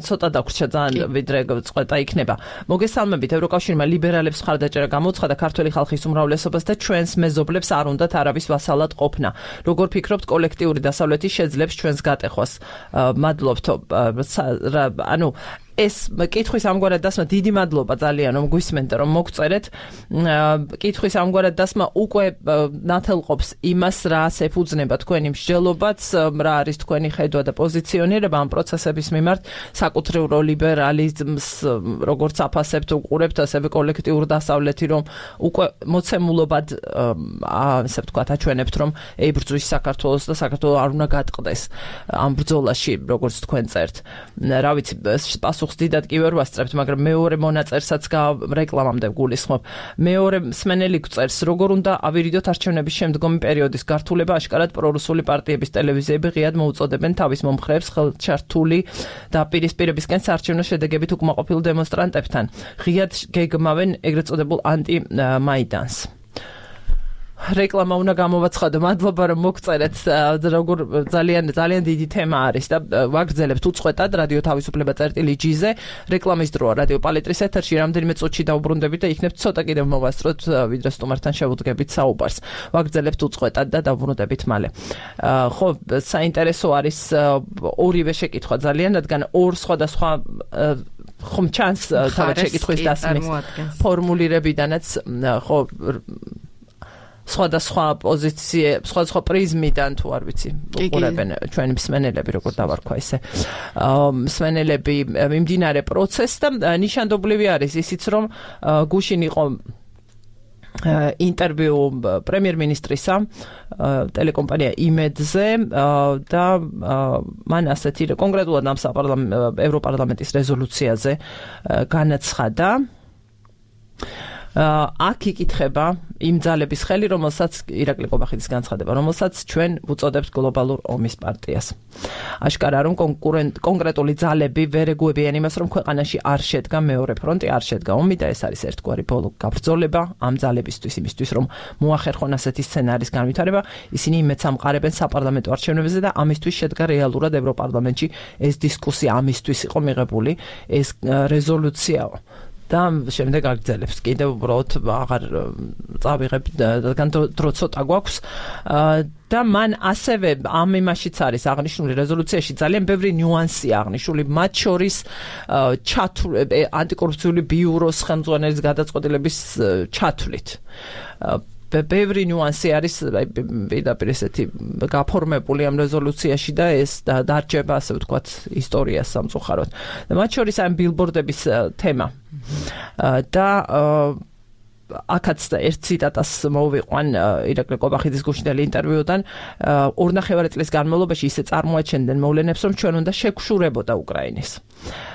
ცოტა დაგვრჩა ძალიან ვიდრე წყვეტა იქნება. მოგესალმებით, ევროკავშირმა ლიბერალებს მხარდაჭერა გამოცხადა ქართველი ხალხის უმრავლესობას და ჩვენს მეზობლებს არ უნდათ არავის ვასალად ყოფნა. როგორ ფიქრობთ, კოლექტიური დასავლეთი შეძლებს ჩვენს გატეხვას? მადლობთ. ანუ ეს კითხვის ამგვარად დასმა დიდი მადლობა ძალიან რომ გვისმენთ რომ მოგწერეთ კითხვის ამგვარად დასმა უკვე ნათელყოფს იმას რაც ეფუძნება თქვენი მსჯელობაც რა არის თქვენი ხედვა და პოზიციონირება ამ პროცესების მიმართ საკუთრივ ლიბერალიზმს როგორც აფასებთ უყურებთ ასევე კოლექტიურ დასავლეთი რომ უკვე მოცემულობად ასე ვთქვათ აჩვენებთ რომ ებრძვის საქართველოს და საქართველო არ უნდა გატყდეს ამ ბრძოლაში როგორც თქვენ წერთ რა ვიცი პასუხს დიდად კი ვერ ვასწრებთ მაგრამ მეორე მონაწერსაც რეკლამამდე გულისხმობ მეორე მსმენელი გვწერს როგორ უნდა ავირიდოთ არჩევნების შემდგომი პერიოდის გართულება აშკარად პრორუსული პარტიების ტელევიზიები ღიად მოუწოდებენ თავის მომხრეებს ხელჩართული და პირისპირებისკენ საარჩევნო შედეგებით უკმაყოფილ დემონსტრანტებთან ღიად გეგმავენ ეგრეთ წოდებულ ანტი-მაიდანს რეკლამა უნდა გამოვაცხადო. მადლობა რომ მოგწერეთ. როგორ ძალიან დიდი თემა არის და ვაგრძელებთ უწყვეტად რადიო თავისუფლება წერტილი-G-ზე. რეკლამის დროა რადიო პალეტრის ეთერში რამდენიმე წუთში დავუბრუნდებით და იქნებ ცოტა კიდევ მოვასწროთ ვიდრე სტუმართან შევუდგებით საუბარს. ვაგრძელებთ უწყვეტად და დავუბრუნდებით მალე. ხო, საინტერესო არის ორივე შეკითხვა ძალიან, რადგან ორ სხვადასხვა ხომ ჩანს თავად შეკითხვის დასმის ფორმულირებიდანაც ხო სხვადასხვა პოზიციე, სხვადასხვა პრიზმიდან თუ არ ვიცი, უყურებენ ჩვენი მსმენელები, როგორ დავარქვა ისე. მსმენელები მიმდინარე პროცესს და ნიშანდობლივი არის ისიც, რომ გუშინ იყო ინტერვიუ პრემიერ-მინისტრისა ტელეკომპანია იმედზე და მან ასეთი კონკრეტულად ამ ევროპარლამენტის რეზოლუციაზე განაცხადა აქ იკითხება იმ ძალების ხელი, რომელსაც ირაკლი ყობახიძის განცხადება, რომელსაც ჩვენ ვუწოდებთ გლობალურ ომის პარტიას. აშკარა რომ კონკრეტული ძალები ვერ ეგუებიან იმას, რომ ქვეყანაში არ შედგა მეორე ფრონტი, არ შედგა ომი და ეს არის ერთგვარი ბოლო გაბრძოლება ამ ძალებისთვის, იმისთვის, რომ მოახერხონ ასეთი სცენარის განვითარება, ისინი იმედს ამყარებენ საპარლამენტო არჩევნებზე და ამისთვის შედგა რეალურად ევროპარლამენტში ეს დისკუსია ამისთვის იყო მიღებული, ეს რეზოლუციაო. და შემდეგ აგრძელებს კიდევ უბრალოდ აღარ წავიღებ რადგან დრო ცოტა გვაქვს და მან ასევე ამ იმაშიც არის აღნიშნული რეზოლუციაში ძალიან ბევრი ნიუანსია აღნიშნული მათ შორის ანტიკორუფციული ბიუროს ხელმძღვანელის გადაწყვეტილების ჩათვლით ბევრი ნიუანსი არის პირდაპირ ესეთი გაფორმებული ამ რეზოლუციაში და ეს დარჩება ასე ვთქვათ ისტორიას სამწუხაროდ და მათ შორის ამ ბილბორდების თემა და აქაც ერთ ციტატას მოვიყვან ირაკლი ყობახიძის გუშინდელი ინტერვიუდან 2.5 წლის განმავლობაში ისე წარმოაჩენდნენ მოვლენებს რომ ჩვენ უნდა შეგშურებოდა უკრაინის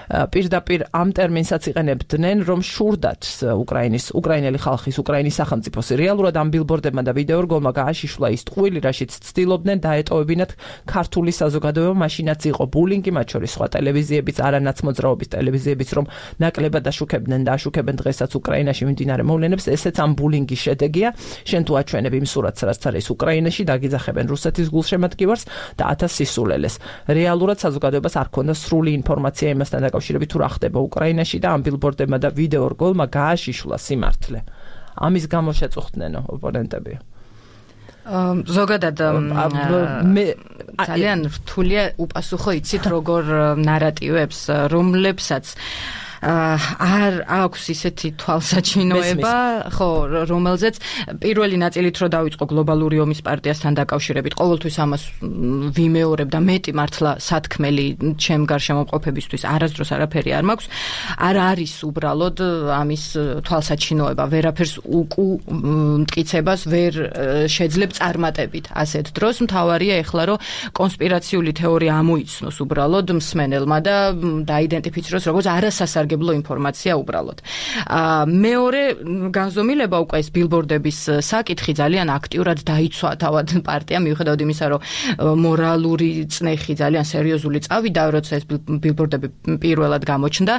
პირდაპირ ამ ტერმინსაც იყენებდნენ რომ შურდათ უკრაინელი ხალხის უკრაინის სახელმწიფოს რეალურად ამ ბილბორდებმა და ვიდეორგოლმა გააშიშვლა ის ტყუილი რაშიც ცდილობდნენ დაეტოვებინათ ქართული საზოგადოება მაშინაც იყო ბულინგი მათ შორის სხვა ტელევიზიებიც არანაცმოძრაობის ტელევიზიებიც რომ ნაკლებად აშუქებდნენ და აშუქებენ დღესაც უკრაინაში მიმდინარე მოვლენებს ესეც ამ ბულინგის შედეგია შენ თუ აჩვენებ იმ სურათს რაც არის უკრაინაში დაგიძახებენ რუსეთის გულშემატკივარს და 1000 სისულელეს რეალურად საზოგადოებას არ ქონდა სრული ინფორმაცია იმასთან დაკავშირებით თუ რა ხდება უკრაინაში და ამ ბილბორდებმა და ვიდეორგოლმა გააშიშვლა სიმართლე ამის გამო შეწუხდნენ ოპონენტები ზოგადად ძალიან რთულია უპასუხო იცით როგორ ნარატივებს რომლებსაც არ აქვს ისეთი თვალსაჩინოება, ხო, რომელზეც პირველი ნაწილით რო დავიწყო გლობალური ომის პარტიასთან დაკავშირებით, ყოველთვის ამას ვიმეორებ და მეტი მართლა სათქმელი ჩემ გარშემო მყოფებისთვის არასდროს არაფერი არ მაქვს, არ არის უბრალოდ ამის თვალსაჩინოება, ვერაფერს მტკიცებას ვერ შეძლებ წარმატებით ასეთ დროს, მთავარია ეხლა რომ კონსპირაციული თეორია ამოიცნოს უბრალოდ მსმენელმა და დაიდენტიფიციროს როგორც არასასარგებლო ინფორმაცია უბრალოდ. მეორე განზომილება უკვე ეს ბილბორდების საკითხი ძალიან აქტიურად დაიცვა თავად პარტიამ მიუხედავად იმისა, რომ მორალური წნეხი ძალიან სერიოზული წავიდა, როცა ეს ბილბორდები პირველად გამოჩნდა,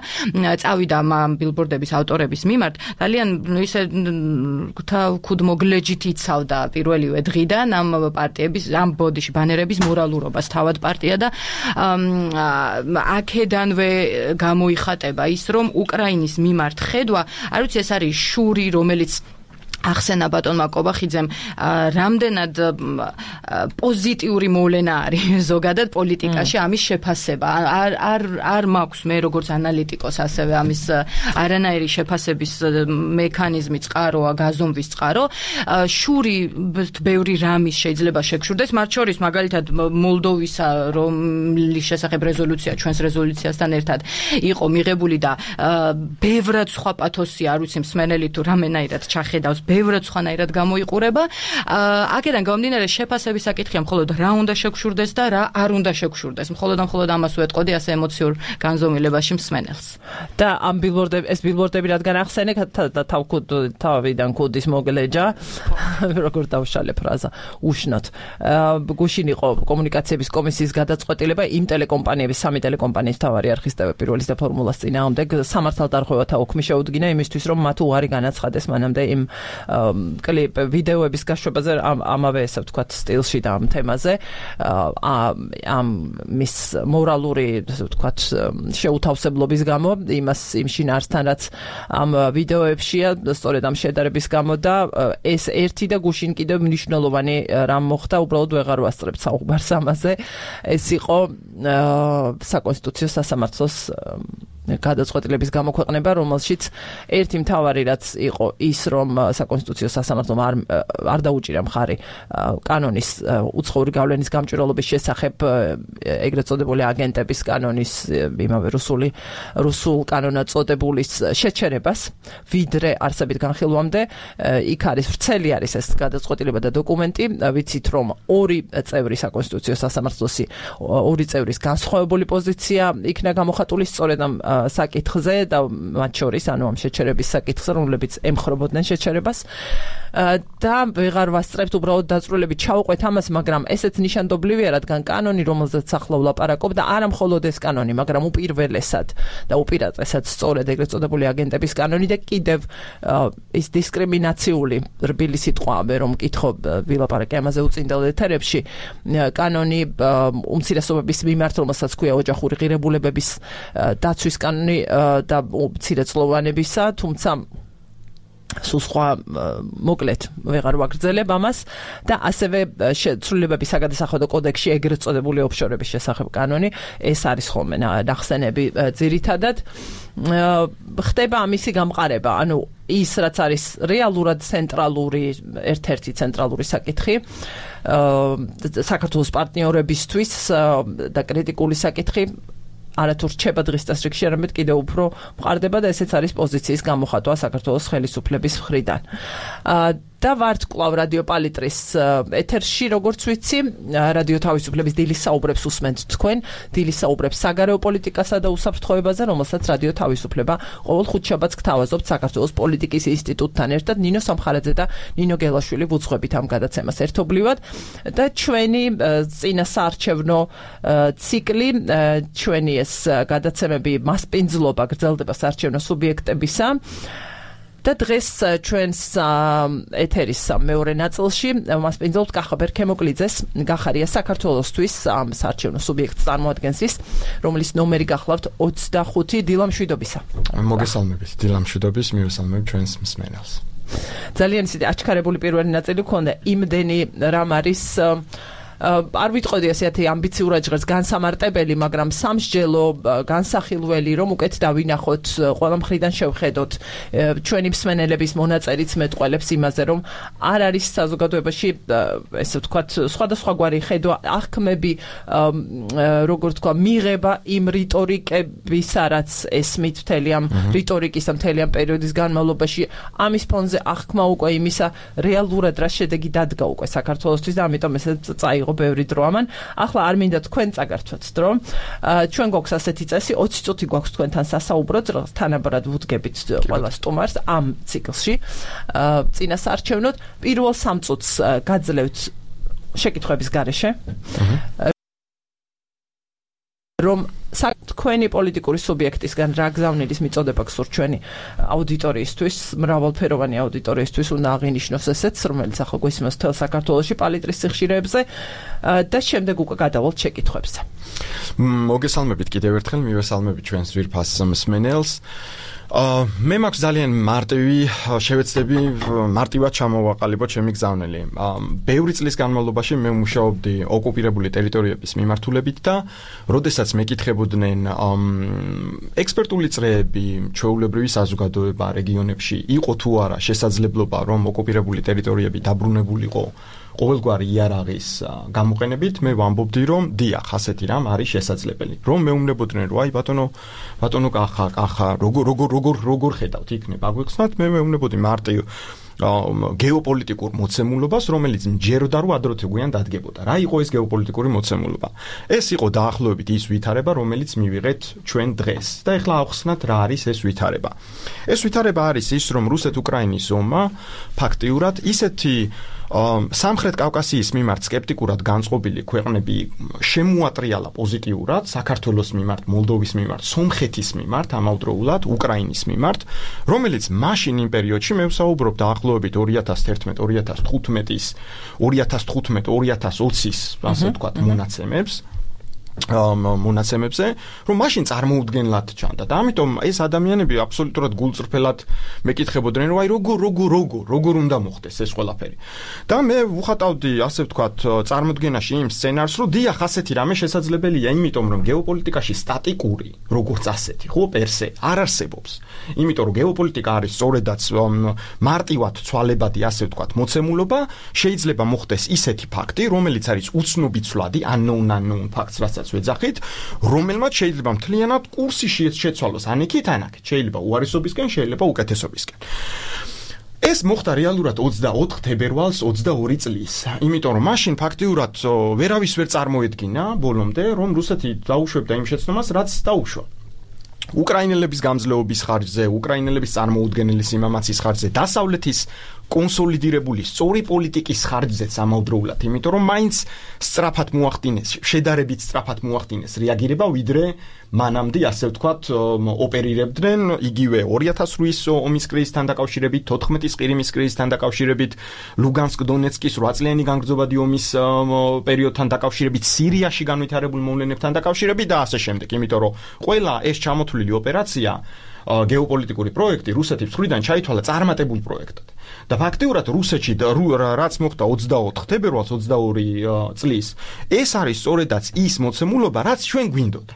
წავიდა ამ ბილბორდების ავტორების მიმართ, ძალიან ისე ქუდმოგლეჯით იცავდა პირველივე დღიდან ამ პარტიების, ამ ბოდიში ბანერების მორალურობას თავად პარტია და აქედანვე გამოიხატება ის, რომ უკრაინის მიმართ ხედვა, არ ვიცი, ეს არის შური, რომელიც ახსენა ბატონმა კობახიძემ რამდენად პოზიტიური მოვლენა არის ზოგადად პოლიტიკაში ამის შეფასება არ მაქვს მე როგორც ანალიტიკოს ასევე ამის არანაირი შეფასების მექანიზმი წყაროა გაზომვის წყარო შური ბევრი რამის შეიძლება შეგშურდეს მათ შორის მაგალითად მოლდოვისა რომლის შესახებ რეზოლუცია ჩვენს რეზოლუციასთან ერთად იყო მიღებული და ბევრად სხვა პათოსი არ ვიცი მსმენელი თუ რამენაირად ჩახედავს ბევრად სხვანაირად გამოიყურება. აქედან გამომდინარე შეფასების საკითხია მხოლოდ რა უნდა შეგშურდეს და რა არ უნდა შეგშურდეს. მხოლოდ ამას უეტყოდი ასე ემოციურ განზომილებაში მსმენელს. და ამ ეს ბილბორდები რადგან ახსენე თავიდან კუდის მოგლეჯა როგორ დავშალე ფრაზა უშნოთ. გუშინ იყო კომუნიკაციების კომისიის გადაწყვეტილება იმ ტელეკომპანიების სამი ტელეკომპანიის თავარი არხის პირველის და ფორმულას წინააღმდეგ სამართალდარღვევათა უქმი შეუდგინა იმისთვის რომ მათ უარი განაცხადეს მანამდე იმ კლიპ ვიდეოების გაშვებაზე ამავე ესე ვთქვათ სტილში და ამ თემაზე ამ მის მორალური ესე ვთქვათ შეუთავსებლობის გამო იმ შინაარსთან რაც ამ ვიდეოებშია სწორედ ამ შედარების გამო და ეს ერთი და გუშინ კიდევ მნიშვნელოვანი რამ მოხდა უბრალოდ ვეღარ ვასწრებთ საუბარს ამაზე ეს იყო საკონსტიტუციო სასამართლოს გადაწყვეტილების გამოქვეყნება, რომელშიც ერთი მთავარი რაც იყო ის, რომ საკონსტიტუციო სასამართლომ არ დაუჭირა მხარი კანონის უცხოური გავლენის გამჭვირვალობის შესახებ ეგრეთ წოდებული აგენტების კანონის იმავე რუსულ კანონად წოდებულის შეჩერებას, ვიდრე არსებით განხილვამდე, იქ არის ვრცელი არის ეს გადაწყვეტილება და დოკუმენტი, ვიცით რომ ორი წევრი საკონსტიტუციო სასამართლოსი ორი წევრის განსხვავებული პოზიცია იქნა გამოხატული სწორედ ამ საკითხზე და მათ შორის ანუ ამ შეჩერების საკითხზე, რომლებიც ემხრობოდნენ შეჩერებას და ვეღარ ვასწრებთ უბრალოდ დაწვრილებით ჩავყვეთ ამას, მაგრამ ესეც ნიშანდობლივია, რადგან კანონი, რომელზეც ახლა ვლაპარაკობ და არა მხოლოდ ეს კანონი, მაგრამ უპირველესად და უპირატესად სწორედ ეგრეთ წოდებული აგენტების კანონი და კიდევ ის დისკრიმინაციული რბილი სიტყვაა, რომ მკითხო ვილაპარაკე ამაზე უწინდელ ეთერებში, კანონი უმცირესობების მიმართ, რომელსაც ქვია ოჯახური ღირებულებების დაცვის კანონი და მცირეწლოვანებისა, თუმცა სულ სხვა მოკლედ ვეღარ ვაგრძელებ ამას და ასევე ცვლილებების საგადასახადო კოდექსში ეგრეთ წოდებული ოფშორების შესახებ კანონი ეს არის ხოლმე ნახსენები ძირითადად ხდება ამისი გამყარება ანუ ის რაც არის რეალურად ცენტრალური ერთ-ერთი ცენტრალური საკითხი საქართველოს პარტნიორებისთვის და კრიტიკული საკითხი არათუ რჩება დღის წესრიგში, არამედ კიდევ უფრო მყარდება და ესეც არის პოზიციის გამოხატვა საქართველოს ხელისუფლების მხრიდან. და ვართ კვლავ რადიო პალიტრის ეთერში, როგორც ვიცი, რადიო თავისუფლების დილის საუბრებს უსმენთ თქვენ, დილის საუბრებს საგარეო პოლიტიკასა და უსაფრთხოებაზე, რომელსაც რადიო თავისუფლება ყოველ ხუთშაბათს გთავაზობთ საქართველოს პოლიტიკის ინსტიტუტთან ერთად, ნინო სამხარაძე და ნინო გელაშვილი ვუძღვებით ამ გადაცემას ერთობლივად და ჩვენი წინასაარჩევნო ციკლი, ჩვენი ეს გადაცემები მასპინძლობა გრძელდება საარჩევნო სუბიექტებისა და დღეს ჩვენს ეთერის მეორე ნაწილში მასპინძლობთ კახაბერ ქემოკლიძეს, გახარია საქართველოსთვის ამ საარჩევნო სუბიექტს წარმოადგენს ის, რომლის ნომერი გახლავთ 25 დილამშვიდობისა. მოგესალმებით, დილამშვიდობის, მივესალმებ ჩვენს მსმენელს. ძალიან ისეთი აჩქარებული პირველი ნაწილი გქონდა, იმდენი რამ არის არ ვიტყოდი ასეთი ამბიციურად ჟღერს განსამარტებელი, მაგრამ სამსჯელო განსახილველი, რომ უკეთ დავინახოთ, ყველა მხრიდან შევხედოთ ჩვენი მსმენელების მონაწერიც მეტყველებს იმაზე, რომ არ არის საზოგადოებაში ესე ვთქვათ სხვადასხვაგვარი ხედვა, აღქმები, როგორ თქვა, მიღება იმ რიტორიკებისა, რაც ესმით მთელი ამ რიტორიკის და მთელი ამ პერიოდის განმავლობაში, ამის ფონზე აღქმა უკვე იმისა, რეალურად რა შედეგი დადგა უკვე საქართველოსთვის და ამიტომ ესე წაიღო ბევრი დრო ამან. ახლა არ მინდა თქვენ წაგართვათ დრო. ჩვენ გვაქვს ასეთი წესი, 20 წუთი გვაქვს თქვენთან სასაუბროდ, თანაბრად ვუდგებით ყველა სტუმარს ამ ციკლში. წინასაარჩევნოდ პირველ 3 წუთს გაძლევთ შეკითხვების გარეშე. რომ თქვენი პოლიტიკური სუბიექტისგან რა გზავნილის მიწოდება გსურთ ჩვენი აუდიტორიისთვის, მრავალფეროვანი აუდიტორიისთვის უნდა აღინიშნოს ესეც, რომელიც ახლა გვისმენს მთელ საქართველოში პალიტრის სიხშირეებზე და შემდეგ უკვე გადავალთ შეკითხვებზე. მოგესალმებით კიდევ ერთხელ, მივესალმებით ჩვენს ძვირფას მსმენელს. მე მაქვს ძალიან მარტივი შევეცდები მარტივად ჩამოვაყალიბოთ ჩემი გზავნილი. ბევრი წლის განმავლობაში მე მუშაობდი ოკუპირებული ტერიტორიების მიმართულებით და როდესაც მეკითხებოდნენ ექსპერტული წრეები, ჩვეულებრივი საზოგადოება რეგიონებში იყო თუ არა შესაძლებლობა რომ ოკუპირებული ტერიტორიები დაბრუნებულიყო ყოველგვარი იარაღის გამოყენებით, მე ვამბობდი რომ დიახ, ასეთი რამ არის შესაძლებელი. რომ მეუბნებოდნენ რომ აი ბატონო კახა როგორ ხედავთ იქნება აგვეხსნათ, მე მეუბნებოდი მარტივ გეოპოლიტიკურ მოცემულობას, რომელიც მჯეროდა რომ ადროთე გვიან დადგებოდა. რა იყო ეს გეოპოლიტიკური მოცემულობა? ეს იყო დაახლოებით ის ვითარება, რომელიც მივიღეთ ჩვენ დღეს. და ეხლა ავხსნათ რა არის ეს ვითარება. ეს ვითარება არის ის, რომ რუსეთ-უკრაინის ომმა ფაქტიურად ისეთი სამხრეთ კავკასიის მიმართ სკეპტიკურად განწყობილი ქვეყნები შემოატრიალა პოზიტიურად საქართველოს მიმართ, მოლდოვის მიმართ, სომხეთის მიმართ, ამავდროულად უკრაინის მიმართ, რომელიც მაშინ იმ პერიოდში მე ვსაუბრობ დაახლოებით 2011-2015-2020-ის, ასე ვთქვათ, მონაცემებზე, რომ მაშინ წარმოუდგენლად ჩანდა. და ამიტომ ეს ადამიანები აბსოლუტურად გულწრფელად მეკითხებოდნენ, რომ აი როგორ უნდა მოხდეს ეს ყველაფერი. და მე ვუხატავდი, ასე ვთქვათ, წარმოდგენაში იმ სცენარს, რომ დიახ, ასეთი რამე შესაძლებელია, იმიტომ რომ გეოპოლიტიკაში სტატიკური, როგორც ასეთი, ხო, პერსე არ არსებობს. იმიტომ რომ გეოპოლიტიკა არის სწორედაც მარტივად ცვალებადი, ასე ვთქვათ, მოცემულობა, შეიძლება მოხდეს ისეთი ფაქტი, რომელიც არის უცნობი-ცვლადი, unknown facts, რასაც ვეძახით, რომელმაც შეიძლება მთლიანად კურსი შეცვალოს ანიქით, შეიძლება უარესობისკენ, შეიძლება უკეთესობისკენ. ეს მოხდა რეალურად 24 თებერვალს 22 წლის. იმიტომ რომ მაშინ ფაქტიურად ვერავის ვერ წარმოედგინა ბოლომდე, რომ რუსეთი დაუშვებდა იმ შეცდომას, რაც დაუშვა. უკრაინელების გამძლეობის ხარჯზე, უკრაინელების წარმოუდგენელი სიმამაცის ხარჯზე, დასავლეთის კონსოლიდირებული სწორი პოლიტიკის ხარჯზეც ამავდროულად, იმიტომ რომ მაინც სწრაფად მოახდინეს, შედარებით სწრაფად მოახდინეს რეაგირება, ვიდრე მანამდე, ასე ვთქვათ, ოპერირებდნენ იგივე 2008-ის ომის კრიზისთან დაკავშირებით, 14-ის ყირიმის კრიზისთან დაკავშირებით, ლუგანსკ-დონეცკის 8 წლიანი განგრძობადი ომის პერიოდთან დაკავშირებით, სირიაში განვითარებულ მოვლენებთან დაკავშირებით და ასე შემდეგ, იმიტომ რომ ყველა ეს ჩამოთვლილი ოპერაცია გეოპოლიტიკური პროექტი რუსეთის მხრიდან ჩაითვალა წარმატებულ პროექტად. და ფაქტიურად რუსეთში რაც მოხდა 24 თებერვალს 22 წლის, ეს არის სწორედაც ის მოცემულობა, რაც ჩვენ გვინდოდა.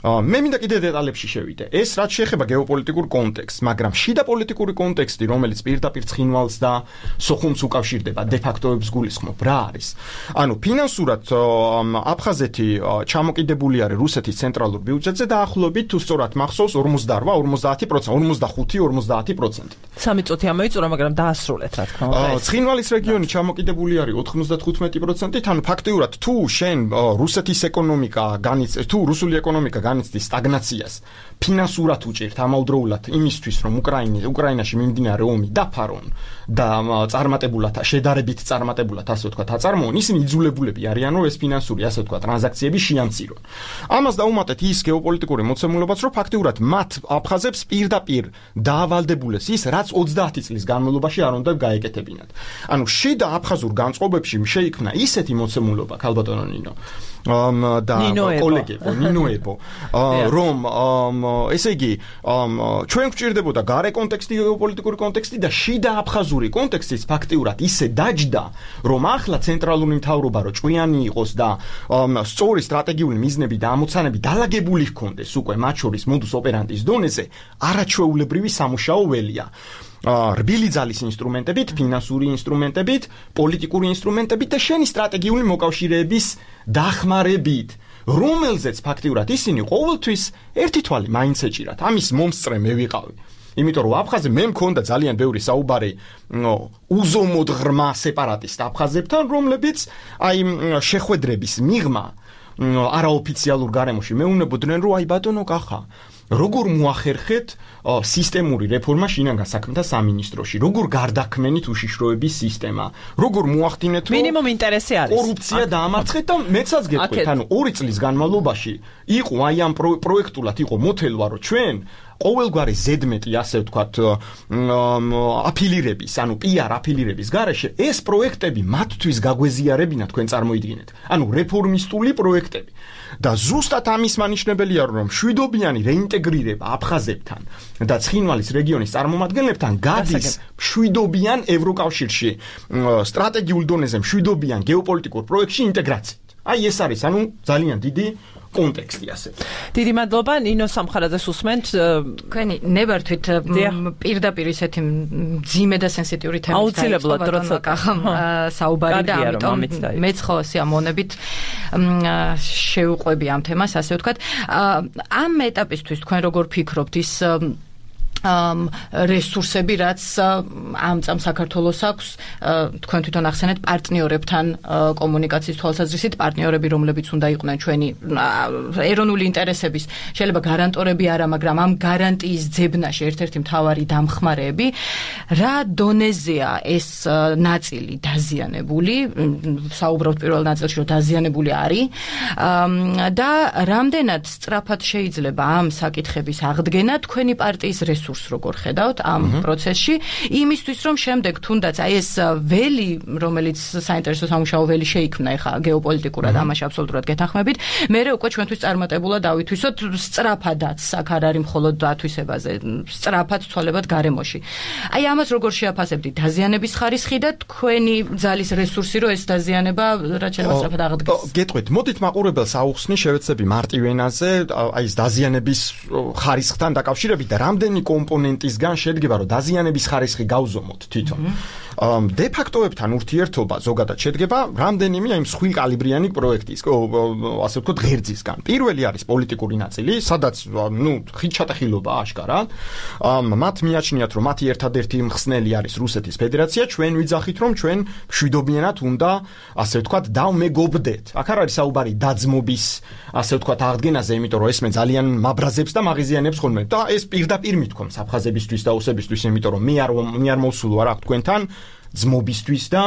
მე მინდა კიდე დეტალებში შევიდე. ეს რაც შეეხება გეოპოლიტიკურ კონტექსტს, მაგრამ შიდა პოლიტიკური კონტექსტი, რომელიც პირდაპირ ცხინვალს და სოხუმს უკავშირდება, დე ფაქტოებს გულისხმობ, რა არის? ანუ ფინანსურად აფხაზეთი ჩამოკიდებული არის რუსეთის ცენტრალურ ბიუჯეტზე დაახლოებით, თუ სწორად მახსოვს, 48-50%, 45-50%. სამი წუთი ამოიწურა, მაგრამ დაასრულეთ, რა თქმა უნდა. ცხინვალის რეგიონი ჩამოკიდებული არის 95%-ით, ანუ ფაქტიურად თუ შენ რუსეთის ეკონომიკა თუ რუსული ეკონომიკა განიცდის სტაგნაციას, ფინანსურად უჭერთ ამავდროულად იმისთვის, რომ უკრაინაში მიმდინარე ომი დაფარონ და წარმატებულად, შედარებით წარმატებულად, ასე ვთქვათ, აწარმოონ, ისინი იძულებულები არიან, რომ ეს ფინანსური, ასე ვთქვათ, ტრანზაქციები შეამცირონ. ამას დაუმატეთ ის გეოპოლიტიკური მოცემულობაც, რომ ფაქტიურად მათ აფხაზებს პირდაპირ დაავალდებულეს ის, რაც 30 წლის განმავლობაში არ უნდა გაეკეთებინათ. ანუ შიდა აფხაზურ განწყობებში შეიქმნა ისეთი მოცემულობა, ქალბატონო ნინო და კოლეგებო, ნინოებო, რომ ესე იგი, ჩვენ გვჭირდებოდა გარე კონტექსტი, გეოპოლიტიკური კონტექსტი და შიდა აფხაზური კონტექსტიც ფაქტიურად ისე დაჯდა, რომ ახლა ცენტრალური მთავრობა რო ჭვიანი იყოს და სწორი სტრატეგიული მიზნები და ამოცანები დალაგებული ჰქონდეს უკვე მათ შორის მოდუს ოპერანტის დონეზე, არაჩვეულებრივი სამუშაო ველია. რბილი ძალის ინსტრუმენტებით, ფინანსური ინსტრუმენტებით, პოლიტიკური ინსტრუმენტებით და შენი სტრატეგიული მოკავშირეების დახმარებით, რომელზეც ფაქტიურად ისინი ყოველთვის ერთი თვალი მაინც ეჭირათ. ამის მომსწრე მე ვიყავი. იმიტომ რომ აფხაზე მე მქონდა ძალიან ბევრი საუბარი უზომოდ ღრმა სეპარატისტ აფხაზებთან, რომლებიც აი შეხვედრების მიღმა არაოფიციალურ გარემოში მეუბნებოდნენ, რომ აი ბატონო კახა, როგორ მოახერხეთ სისტემური რეფორმა შინაგან საქმეთა სამინისტროში, როგორ გარდაქმნით უშიშროების სისტემა, როგორ მოახდინეთ, რომ მინიმუმ ინტერესი არის კორუფცია დაამარცხეთ და მეცაც გეტყვით, ანუ 2 წლის განმავლობაში იყო აი ამ პროექტულად იყო მოთელვა, რომ ჩვენ ყოველგვარი ზედმეტი, ასე ვთქვათ, აფილირების, ანუ PR აფილირების გარეშე ეს პროექტები მათთვის გაგვეზიარებინა თქვენ წარმოიდგინეთ. ანუ რეფორმისტული პროექტები. და ზუსტად ამის მანიშნებელია, რომ მშვიდობიანი რეინტეგრაცია ინტეგრირება აფხაზებთან და ცხინვალის რეგიონის წარმომადგენლებთან გადის მშვიდობიან ევროკავშირში, სტრატეგიულ დონეზე მშვიდობიან გეოპოლიტიკურ პროექტში ინტეგრაციით. აი ეს არის ძალიან დიდი კონტექსტი ასე. დიდი მადლობა ნინო სამხარაძეს უსმენთ. თქვენი ნებართვით პირდაპირ ისეთი მძიმე და სენსიტიური თემის აუცილებლად როცა საუბარი და ამიტომ მეც ხო სიამოვნებით შევყვები ამ თემას, ასე ვთქვათ. ამ ეტაპისთვის თქვენ როგორ ფიქრობთ ის რესურსები, რაც ამ წამ საქართველოს აქვს, თქვენ თვითონ ახსენეთ პარტნიორებთან კომუნიკაციის თვალსაზრისით, პარტნიორები, რომლებიც უნდა იყვნენ ჩვენი ეროვნული ინტერესების შეიძლება გარანტორები არა, მაგრამ ამ გარანტიის ძებნაში ერთ-ერთი მთავარი დამხმარეები, რა დონეზეა ეს ნაწილი დაზიანებული, საუბრობთ პირველ ნაწილში, რომ დაზიანებული არის და რამდენად სწრაფად შეიძლება ამ საკითხების აღდგენა თქვენი პარტიის როგორ ხედავთ ამ პროცესში, იმისთვის რომ შემდეგ თუნდაც აი ეს ველი, რომელიც საინტერესო სამუშაო ველი შეიქმნა ეხა გეოპოლიტიკურად ამაში აბსოლუტურად გეთანხმებით, მერე უკვე ჩვენთვის წარმატებულად დავითვისოთ სწრაფადაც, აქ არ არის მხოლოდ დათვისებაზე, სწრაფად ცვალებად გარემოში. აი ამას როგორ შეაფასებდით დაზიანების ხარისხი და თქვენი ძალის რესურსი, რომ ეს დაზიანება რაც შეიძლება სწრაფად აღდგეს. გეტყვით, მოდით მაყურებელს აუხსნი შევეცდები მარტივ ენაზე, აი ეს დაზიანების ხარისხთან დაკავშირებით და რამდენი კომპონენტისგან შედგება, რომ დაზიანების ხარისხი გავზომოთ თვითონ. დე ფაქტოებთან ურთიერთობა ზოგადად შედგება რამდენიმე აი მსხვილ კალიბრიანი პროექტის, ასე ვთქვათ, ღერძისგან. პირველი არის პოლიტიკური ნაწილი, სადაც ხიდჩატეხილობა აშკარად. მათ მიაჩნიათ, რომ მათი ერთადერთი მხსნელი არის რუსეთის ფედერაცია, ჩვენ ვიძახით, რომ ჩვენ მშვიდობიანად უნდა, ასე ვთქვათ, დავმეგობრდეთ. აქ არ არის საუბარი დაძმობის, ასე ვთქვათ, აღდგენაზე, იმიტომ რომ ესმე ძალიან მაბრაზებს და მაღიზიანებს ხოლმე და ეს პირდაპირ მithქვამს აფხაზებისთვის და ოსებისთვის, იმიტომ რომ მე არ მოვსულ ვარ აქ თქვენთან ძმობისთვის და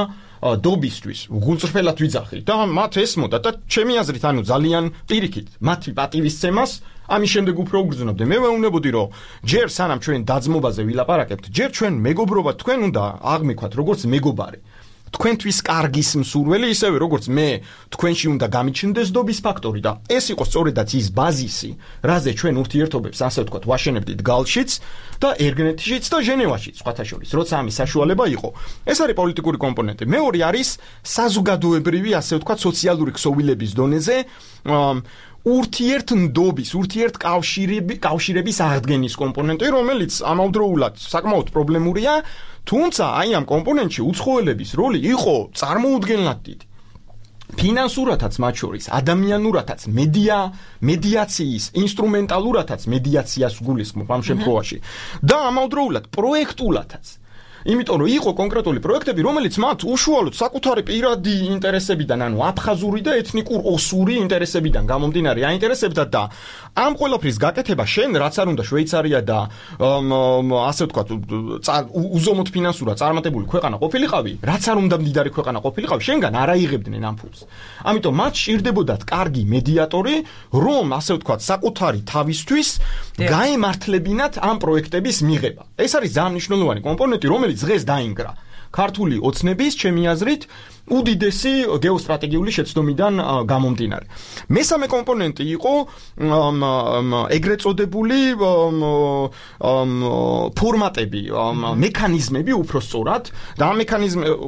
დობისთვის გულწრფელად ვიძახით და მათ ესმოდა და ჩემი აზრით ძალიან პირიქით მათი პატივისცემას ამის შემდეგ უფრო უგრძნობდი. მე ვეუბნებოდი, რომ ჯერ სანამ ჩვენ დაძმობაზე ვილაპარაკებთ, ჯერ ჩვენ მეგობრობა თქვენ უნდა აღმიქვათ როგორც მეგობარი. თქვენთვის კარგის მსურველი, ისევე როგორც მე თქვენში უნდა გამიჩნდეს დობის ფაქტორი და ეს იყო სწორედაც ის ბაზისი, რაზე ჩვენ ურთიერთობებს, ასე ვთქვათ, ვაშენებდით გალშიც და ერგნეთშიც და ჟენევაშიც, სხვათა შორის, როცა ამის საშუალება იყო. ეს არის პოლიტიკური კომპონენტი. მეორე არის საზოგადოებრივი, ასე ვთქვათ, სოციალური ქსოვილების დონეზე ურთიერთნდობის, ურთიერთკავშირების აღდგენის კომპონენტი, რომელიც ამავდროულად საკმაოდ პრობლემურია, თუმცა აი ამ კომპონენტში უცხოელების როლი იყო წარმოუდგენლად დიდი. ფინანსურათაც მათ შორის, ადამიანურათაც, მედიაციის, ინსტრუმენტალურათაც მედიაციას გულისხმობ ამ შემთხვევაში და ამავდროულად პროექტულათაც. იმიტომ რომ იყო კონკრეტული პროექტები, რომელიც მათ უშუალოდ საკუთარი პირადი ინტერესებიდან, ანუ აფხაზური და ეთნიკურ ოსური ინტერესებიდან გამომდინარე აინტერესებდა და ამ ყველაფრის გაკეთება შენ რაც არ უნდა შვეიცარია და ასე ვთქვათ, უზომოდ ფინანსურად წარმატებული ქვეყანა ყოფილიყავი, რაც არ უნდა მდიდარი ქვეყანა ყოფილიყავი, შენგან არ აიღებდნენ ამ ფულს. ამიტომ მათ სჭირდებოდათ კარგი მედიატორი, რომ ასე ვთქვათ, საკუთარი თავისთვის გაემართლებინათ ამ პროექტების მიღება. ეს არის ძალიან მნიშვნელოვანი კომპონენტი, რომელიც დღეს დაინგრა ქართული ოცნების, ჩემი აზრით, უდიდესი გეოსტრატეგიული შეცდომიდან გამომდინარე. მესამე კომპონენტი იყო ეგრეთ წოდებული ფორმატები, მექანიზმები უფრო სწორად და ამ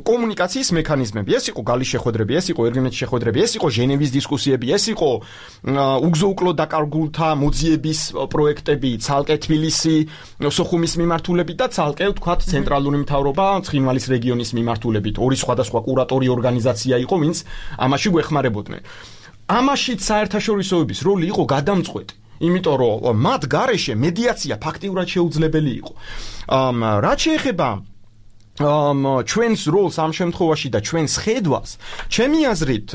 კომუნიკაციის მექანიზმები. ეს იყო გალის შეხვედრები, ეს იყო ერგენეთის შეხვედრები, ეს იყო ჟენევის დისკუსიები, ეს იყო უგზო-უკლო დაკარგულთა მოძიების პროექტები, ცალკე თბილისი, სოხუმის მიმართულებით და ცალკე ვთქვათ ცენტრალური მთავრობა ცხინვალის რეგიონის მიმართულებით. ორი სხვადასხვა კურატორი ორგანიზაცია იყო, ვინც ამაში გვეხმარებოდნენ. ამაშიც საერთაშორისოების როლი იყო გადამწყვეტი, იმიტომ რომ მათ გარეშე მედიაცია ფაქტიურად შეუძლებელი იყო. რაც შეეხება ჩვენს როლს ამ შემთხვევაში და ჩვენს ხედვას, ჩემი აზრით,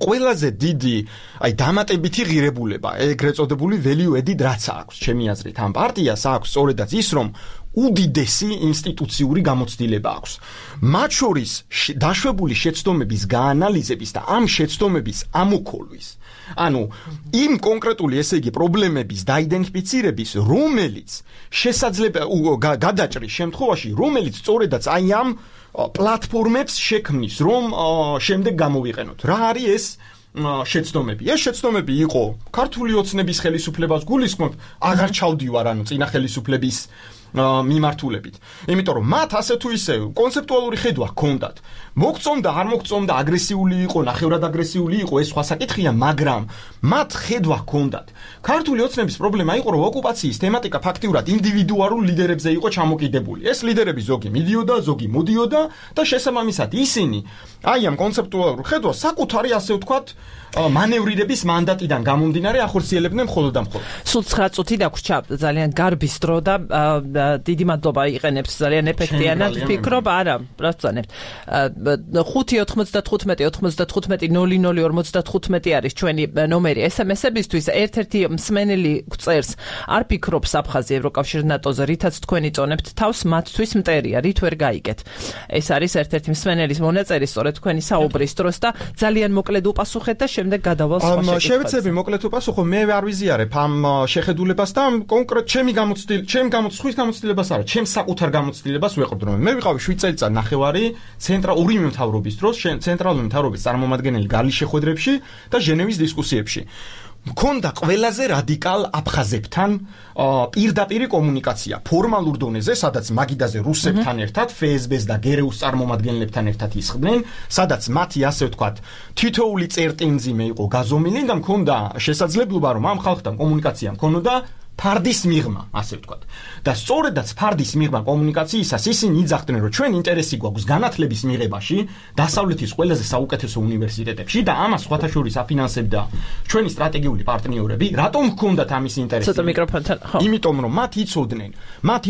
ყველაზე დიდი, აი დამატებითი ღირებულება, ეგრეთ წოდებული value added რაც აქვს, ჩემი აზრით, ამ პარტიას აქვს სწორედაც ის, რომ უდიდესი ინსტიტუციური გამოცდილება აქვს. მათ შორის დაშვებული შეცდომების გაანალიზების და ამ შეცდომების ამოქოლვის. ანუ იმ კონკრეტული, ესე იგი, პრობლემების დაიდენტიფიცირების, რომელიც შესაძლებელი გადაჭრის შემთხვევაში, რომელიც სწორედაც აი ამ პლატფორმებს შექმნის, რომ შემდეგ გამოვიყენოთ. რა არის ეს შეცდომები. ეს შეცდომები იყო ქართული ოცნების ხელისუფლებას გულისხმობ, აღარ ჩავდივარ ანუ წინა ხელისუფლების მიმართულებით. იმიტომ რომ მათ ასე თუ ისე კონცეპტუალური ხედვა ჰქონდათ. მოგწონდა, არ მოგწონდა, აგრესიული იყო, ნახევრად აგრესიული იყო, ეს სხვა საკითხია, მაგრამ მათ ხედვა ჰქონდათ. ქართული ოცნების პრობლემა იყო, რომ ოკუპაციის თემატიკა ფაქტიურად ინდივიდუალურ ლიდერებზე იყო ჩამოკიდებული. ეს ლიდერები ზოგი მიდიოდა, ზოგი მოდიოდა და შესაბამისად ისინი აი ამ კონცეპტუალურ ხედვას საკუთარი ასე ვთქვათ მანევრირების მანდატიდან გამომდინარე ახორციელებდნენ მხოლოდ და მხოლოდ. სულ 9 წუთი დაგვრჩა, ძალიან გარბის დრო და დიდი მადლობა იყენებს, ძალიან ეფექტიანად ვფიქრობ, არა, პროცენტ. 5-95-95-00-55 არის ჩვენი ნომერი SMS-ებისთვის. ერთ-ერთი მსმენელი წერს, არ ფიქრობს აფხაზი ევროკავშირ ნატოზე, რითაც თქვენი წონებთ თავს, მათთვის მტერია, რით ვერ გაიგეთ. ეს არის ერთ-ერთი მსმენელის მონაწერი, სწორედ თქვენი საუბრის დროს და ძალიან მოკლედ უპასუხეთ და შემდეგ გადავალ სხვა შეკითხვებს. შევეცდები მოკლედ უპასუხო, მე არ ვიზიარებ ამ შეხედულებას და კონკრეტ ჩემი გამოცდილებას არა, ჩემს საკუთარ გამოცდილებას ვეყრდ, რომ მე ვიყავი 7 წელიწად ნახევარი ორი მთავრობის დროს, ცენტრალური მთავრობის წარმომადგენელი გალის შეხვედრებში და ჟენევის დისკუსიებში. მქონდა ყველაზე რადიკალ აფხაზებთან პირდაპირი კომუნიკაცია ფორმალურ დონეზე, სადაც მაგიდაზე რუსებთან ერთად, FSB-ს და გერეუს წარმომადგენლებთან ერთად ისხდნენ, სადაც მათი ასე ვთქვათ თითოეული წერტინძიმე იყო გაზომილი და მქონდა შესაძლებლობა, რომ ამ ხალხთან კომუნიკაცია მქონოდა ფარდის მიღმა, ასე ვთქვათ. და სწორედაც ფარდის მიღმა კომუნიკაციისას ისინი იძახდნენ, რომ ჩვენ ინტერესი გვაქვს განათლების მიღებაში, დასავლეთის ყველაზე საუკეთესო უნივერსიტეტებში და ამას სხვათა შორის აფინანსებდა ჩვენი სტრატეგიული პარტნიორები. რატომ ჰქონდათ ამის ინტერესი? ცოტა მიკროფონთან, ხო. იმიტომ რომ მათ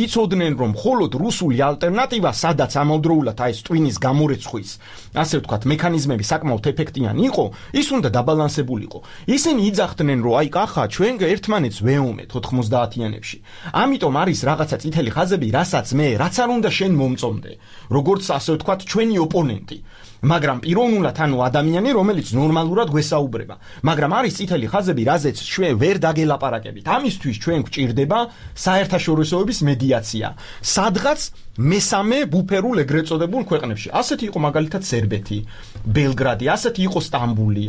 იცოდნენ, რომ მხოლოდ რუსული ალტერნატივა, სადაც ამავდროულად აი ეს ტვინის გამორეცხვის, ასე ვთქვათ, მექანიზმები საკმაოდ ეფექტიანი იყო, ის უნდა დაბალანსებულიყო. ისინი იძახდნენ, რომ აი კახა, ჩვენ ერთმანეთს ვეომეთ 90-იანებში. ამიტომ არის რაღაცა წითელი ხაზები, რაც არ უნდა შენ მომწონდე, როგორც ასე ვთქვათ, ჩვენი ოპონენტი. მაგრამ პიროვნულად ანუ ადამიანი, რომელიც ნორმალურად გვესაუბრება. მაგრამ არის წითელი ხაზები, რაზეც ჩვენ ვერ დაგელაპარაკებით. ამისთვის ჩვენ გვჭირდება საერთაშორისოების მედიაცია. სადღაც მესამე ბუფერულ ეგრეთ წოდებულ ქვეყნებში. ასეთი იყო მაგალითად სერბეთი, ბელგრადი, ასეთი იყო სტამბული,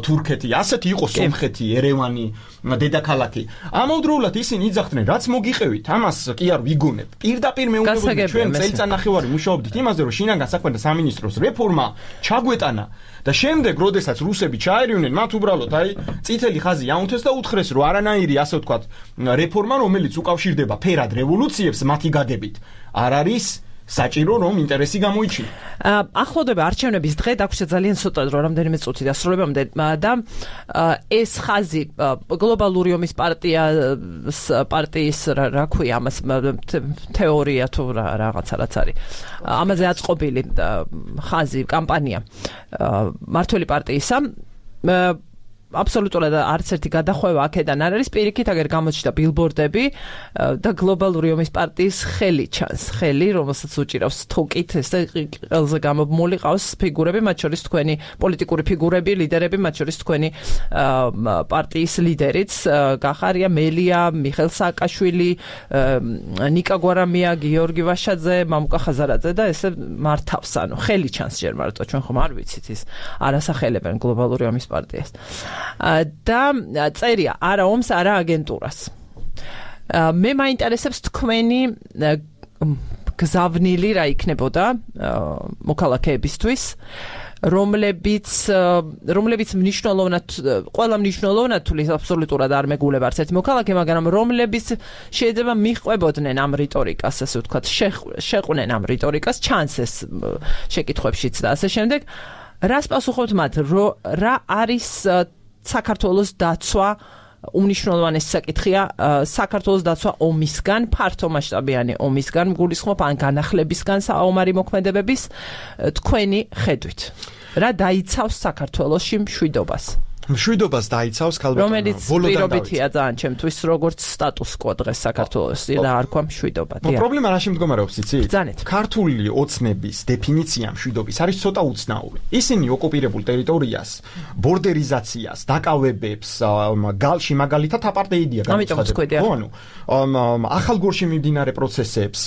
თურქეთი, ასეთი იყო სომხეთი, ერევანი, დედაქალაქი. ამავდროულად ისინი იძახდნენ, რაც მოგიყევით, ამას კი არ ვიგონებ. პირდაპირ მეუბნებოდნენ, ჩვენ წელიწადნახევარი მუშაობდით იმაზე, რომ შინაგან საქმეთა სამინისტროს რეფორმა ჩაგვეტანა და შემდეგ, როდესაც რუსები ჩაერივნენ, მათ უბრალოდ აი წითელი ხაზი აუნთეს და უთხრეს, რომ არანაირი ასე ვთქვათ რეფორმა, რომელიც უკავშირდება ფერად რევოლუციებს, მათი გაგებით არ არის საჭირო, რომ ინტერესი გამოიჩინა. ახლოვდება არჩევნების დღე, დაგვრჩა ძალიან ცოტა დრო, რამდენიმე წუთი დასრულებამდე და ეს ხაზი გლობალური ომის პარტიის რა ქვია ამას თეორია თუ რაღაცა რაც არის. ამაზე აწყობილი ხაზი, კამპანია მართველი პარტიისა აბსოლუტურად არც ერთი გადახვევა აქედან არ არის, პირიქით აგერ გამოჩნდა ბილბორდები და გლობალური ომის პარტიის ხელი ჩანს, ხელი, რომელსაც უჭირავს თუკით, ეს ყველაზე გამომული ყავს ფიგურები, მათ შორის თქვენი პოლიტიკური ფიგურები, ლიდერები, მათ შორის თქვენი პარტიის ლიდერიც, გახარია მელია, მიხეილ სააკაშვილი, ნიკა გვარამია, გიორგი ვაშაძე, მამუკა ხაზარაძე და ესე მართავს, ანუ ხელი ჩანს ჯერ მარტო, ჩვენ ხომ არ ვიცით ის არასახელებენ გლობალური ომის პარტიას. და წერია არა ომს, არა აგენტურას. მე მაინტერესებს თქვენი გზავნილი რა იქნებოდა მოქალაქეებისთვის, რომლებიც მნიშვნელოვნად, ყველა მნიშვნელოვნად თulis აბსოლუტურად არ მეგულება არც ერთი მოქალაქე, მაგრამ რომლებიც შეიძლება მიყვებოდნენ ამ რიტორიკას, ასე ვთქვათ, შეყვნენ ამ რიტორიკას, ჩანს ეს შეკითხვებშიც და ასე შემდეგ. რას პასუხობთ მათ, რა არის საქართველოს დაცვა უმნიშვნელოვანესი საკითხია, საქართველოს დაცვა ომისგან, ფართომასშტაბიანი ომისგან, გულისხმობ ან განახლებისგან საომარი მოქმედებების თქვენი ხედვით. რა დაიცავს საქართველოში მშვიდობას? მშვიდობას დაიცავს ქალბატონო რომელიც პირობითია ძალიან ჩემთვის როგორც სტატუს კო დღეს საქართველოს და არ ქვა მშვიდობა. პრობლემა რა შემდგომარეობს იცით? ბრძანეთ. ქართული ოცნების დეფინიცია მშვიდობის არის ცოტა უცნაური. ისინი ოკუპირებულ ტერიტორიას, ბორდერიზაციას, დაკავებებს, გალში მაგალითად აპარტეიდია გამოცხადებული. ხო, ახალგორში მიმდინარე პროცესებს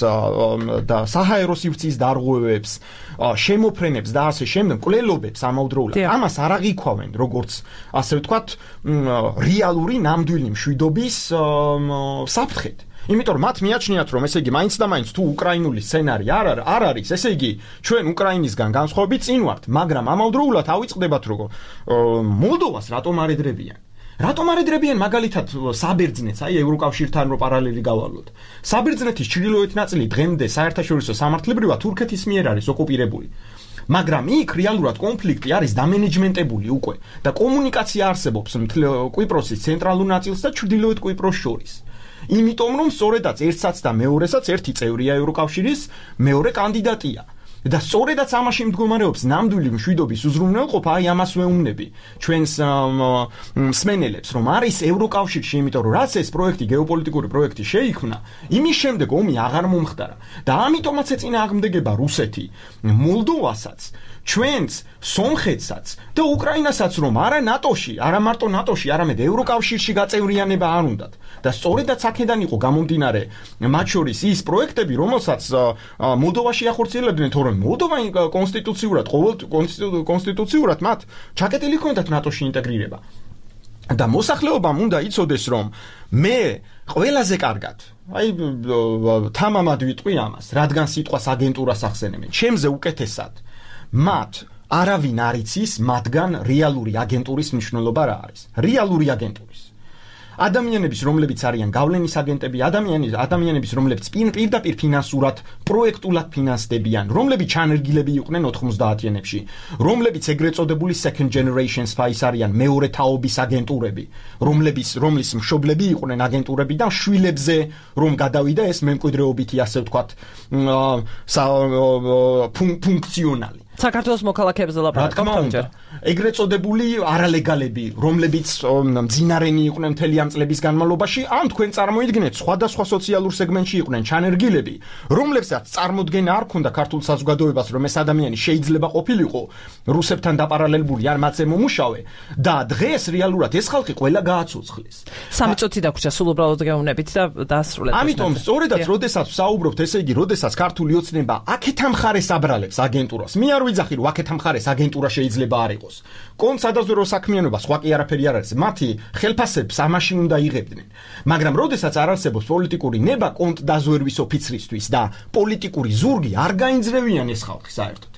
და საჰაერო სივრცის დარღვევებს, შემოფრენებს და ასე შემდეგ, კვლელობებს ამავდროულად. ამას არ აღიქვავენ როგორც ასე ვთქვათ, რეალური ნამდვილი მშვიდობის საფრთხედ. იმიტომ რომ მათ მიაჩნიათ რომ ესე იგი მაინც და მაინც თუ უკრაინული სცენარი არ არის, ესე იგი ჩვენ უკრაინისგან განსხვავებით წინ ვართ, მაგრამ ამავდროულად ავიწყდებათ რომ მოლდოვას რატომ არ ედრებიან? რატომ არ ედრებიან მაგალითად საბერძნეთს, აი ევროკავშირთან რო პარალელი გავალოთ. საბერძნეთის ჩრდილოეთ ნაწილი დღემდე საერთაშორისო სამართლებრივად თურქეთის მიერ არის ოკუპირებული. მაგრამ იქ რეალურად კონფლიქტი არის დამენეჯმენტებული უკვე და კომუნიკაცია არსებობს კვიპროსის ცენტრალურ ნაწილს და ჩრდილოეთ კვიპროს შორის. იმიტომ რომ სწორედაც ერთსაც და მეორესაც ერთი წევრია ევროკავშირის, მეორე კანდიდატია. და სწორედაც ამაში მდგომარეობს ნამდვილი მშვიდობის უზრუნველყოფა, აი ამას ვეუბნები ჩვენს მსმენელებს, რომ არის ევროკავშირში, იმიტომ რომ რაც ეს პროექტი, გეოპოლიტიკური პროექტი შეიქმნა, იმის შემდეგ ომი აღარ მომხდარა და ამიტომაც ეწინააღმდეგება რუსეთი მოლდოვასაც, ჩვენს სომხეთსაც და უკრაინასაც, რომ არა ნატოში, არა მარტო ნატოში, არამედ ევროკავშირში გაწევრიანება არ უნდათ. და სწორედაც აქედან იყო გამომდინარე მათ შორის ის პროექტები, რომელსაც მოლდოვაში ახორციელებდნენ, თორემ მოლდოვა კონსტიტუციურად მათ ჩაკეტილი ჰქონდათ ნატოში ინტეგრირება. და მოსახლეობამ უნდა იცოდეს, რომ მე ყველაზე კარგად, აი თამამად ვიტყვი ამას, რადგან სიტყვას აგენტურას ახსენებენ, ჩემზე უკეთესად მათ არავინ არ იცის მათგან რეალური აგენტურის მნიშვნელობა რა არის. რეალური აგენტურის ადამიანების, რომლებიც არიან გავლენის აგენტები, ადამიანების, რომლებიც პირდაპირ ფინანსურად, პროექტულად ფინანსდებიან, რომლებიც ჩანერგილები იყვნენ 90-იანებში, რომლებიც ეგრეთ წოდებული second generation spies არიან, მეორე თაობის აგენტურები, რომლის მშობლები იყვნენ აგენტურები და შვილებზე რომ გადავიდა ეს მემკვიდრეობითი, ასე ვთქვათ, ფუნქციონალი. საქართველოს მოქალაქეებზე ლაპარაკობთ. ეგრეთ წოდებული არალეგალები, რომლებიც მძინარენი იყვნენ მთელი ამ წლების განმავლობაში, ან თქვენ წარმოიდგინეთ სხვადასხვა სოციალურ სეგმენტში იყვნენ ჩანერგილები, რომლებსაც წარმოდგენა არ ქონდა ქართულ საზოგადოებას, რომ ეს ადამიანი შეიძლება ყოფილიყო რუსებთან დაპარალელებული ან მათზე მომუშავე და დღეს რეალურად ეს ხალხი ყველა გააცოცხლეს. 3 წუთი დაგვრჩა, სულ უბრალოდ გეუბნებით და დაასრულეთ. ამიტომ სწორედაც როდესაც ვსაუბრობთ, ესე იგი, როდესაც ქართული ოცნება აქეთ ამხარეს აბრალებს აგენტურას, მე არ ვიძახი რომ აქეთ ამხარეს აგენტურა შეიძლება არ იყოს. კონც სადაზვერო საქმიანობა სხვა კი არაფერი არ არის. მათი ხელფასებს ამაში უნდა იღებდნენ. მაგრამ როდესაც არ არსებობს პოლიტიკური ნება კონტ დაზვერვის ოფიცრისთვის და პოლიტიკური ზურგი არ გაინძრევიან ეს ხალხი საერთოდ.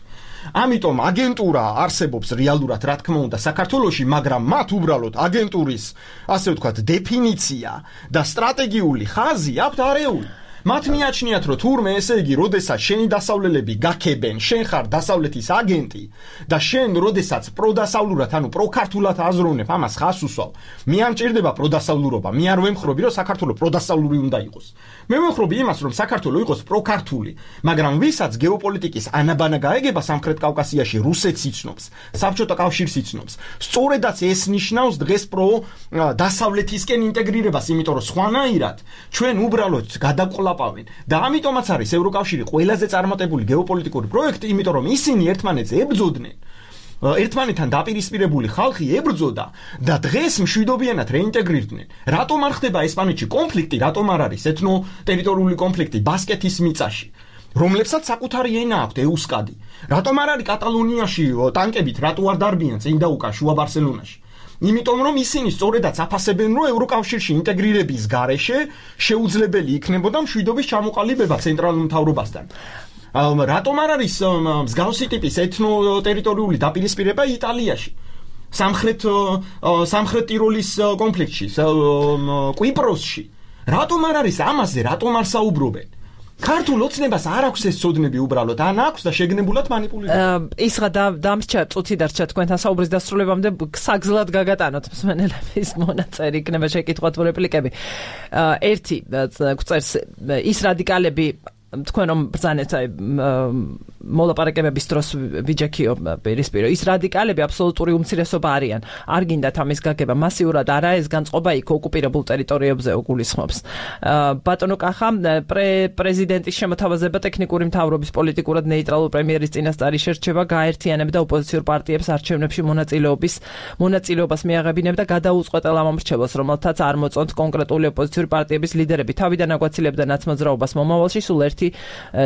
ამიტომ აგენტურა არსებობს რეალურად, რა თქმა უნდა, საქართველოში, მაგრამ მათ უბრალოდ აგენტურის, ასე ვთქვათ, დეფინიცია და სტრატეგიული ხაზი აქვთ არეული. მათ მიაჩნიათ, რომ თურმე ესე იგი, როდესაც შენი დასავლელები გაქებენ, შენ ხარ დასავლეთის აგენტი და შენ როდესაც პროდასავლურად, ანუ პროქართულად აზროვნებ, ამას ხას უსვავ. მე არ მჭირდება პროდასავლურობა, მე არ ვემხრობი, რომ საქართველოს პროდასავლური უნდა იყოს. მე ვემხრობი იმას, რომ საქართველოს იყოს პროქართული, მაგრამ ვისაც გეოპოლიტიკის ანაბანა გაეგება სამხრეთ კავკასიაში, რუსეთს იცნობს, საბჭოთა კავშირს იცნობს. სწორედაც ეს ნიშნავს დღეს დასავლეთისკენ ინტეგრირებას, იმიტომ რომ სხვანაირად ჩვენ უბრალოდ გადაყოლაპავენ და ამიტომაც არის ევროკავშირი ყველაზე წარმატებული გეოპოლიტიკური პროექტი, იმიტომ რომ ისინი ერთმანეთს ებრძოდნენ. ერთმანეთთან დაპირისპირებული ხალხი ებრძოდა და დღეს მშვიდობიანად რეინტეგრირდნენ. რატომ არ ხდება ესპანეთში კონფლიქტი, რატომ არ არის ეთნო-ტერიტორიული კონფლიქტი ბასკეთის მიწაში, რომლებსაც საკუთარი ენა აქვთ ეუსკადი? რატომ არ არის კატალონიაში ტანკებით, რატო არ დარბიან წინ და უკან შუა ბარსელონაში? იმიტომ რომ ისინი სწორედაც აფასებენ, რომ ევროკავშირში ინტეგრირების გარეშე შეუძლებელი იქნებოდა მშვიდობის ჩამოყალიბება ცენტრალურ მთავრობასთან. რატომ არ არის მსგავსი ტიპის ეთნო-ტერიტორიული დაპირისპირება იტალიაში? სამხრეთ ტიროლის კონფლიქტში, კვიპროსში. რატომ არ არის ამაზე, რატომ არ საუბრობენ? ქართულ ოცნებას არ აქვს ეს ცოდნები უბრალოდ, ან აქვს და შეგნებულად მანიპულირებენ. ისღა დამრჩა წუთი დარჩა თქვენთან საუბრის დასრულებამდე, საგზლად გაგატანოთ მსმენელების მონაწერი იქნება შეკითხვა თუ რეპლიკები. ერთი წერს ის რადიკალები თქვენ რომ ბრძანეთ აი მოლაპარაკებების დროს ვიჯექიო პირისპირო ის რადიკალები აბსოლუტური უმცირესობა არიან. არ გინდათ ამის გაგება მასიურად არა ეს განწყობა იქ ოკუპირებულ ტერიტორიებზე გულისხმობს. ბატონო კახა პრეზიდენტის შემოთავაზება ტექნიკური მთავრობის პოლიტიკურად ნეიტრალურ პრემიერის წინასწარი შერჩევა გააერთიანებდა ოპოზიციურ პარტიებს არჩევნებში მონაწილეობას მიაღებინებდა გადაუწყვეტელ ამ მრჩევლს, რომელთაც არ მოწონთ კონკრეტული ოპოზიციური პარტიების ლიდერები. თავიდან აგვაცილებდა ნაცმოძრაობას მომავალში სულ 1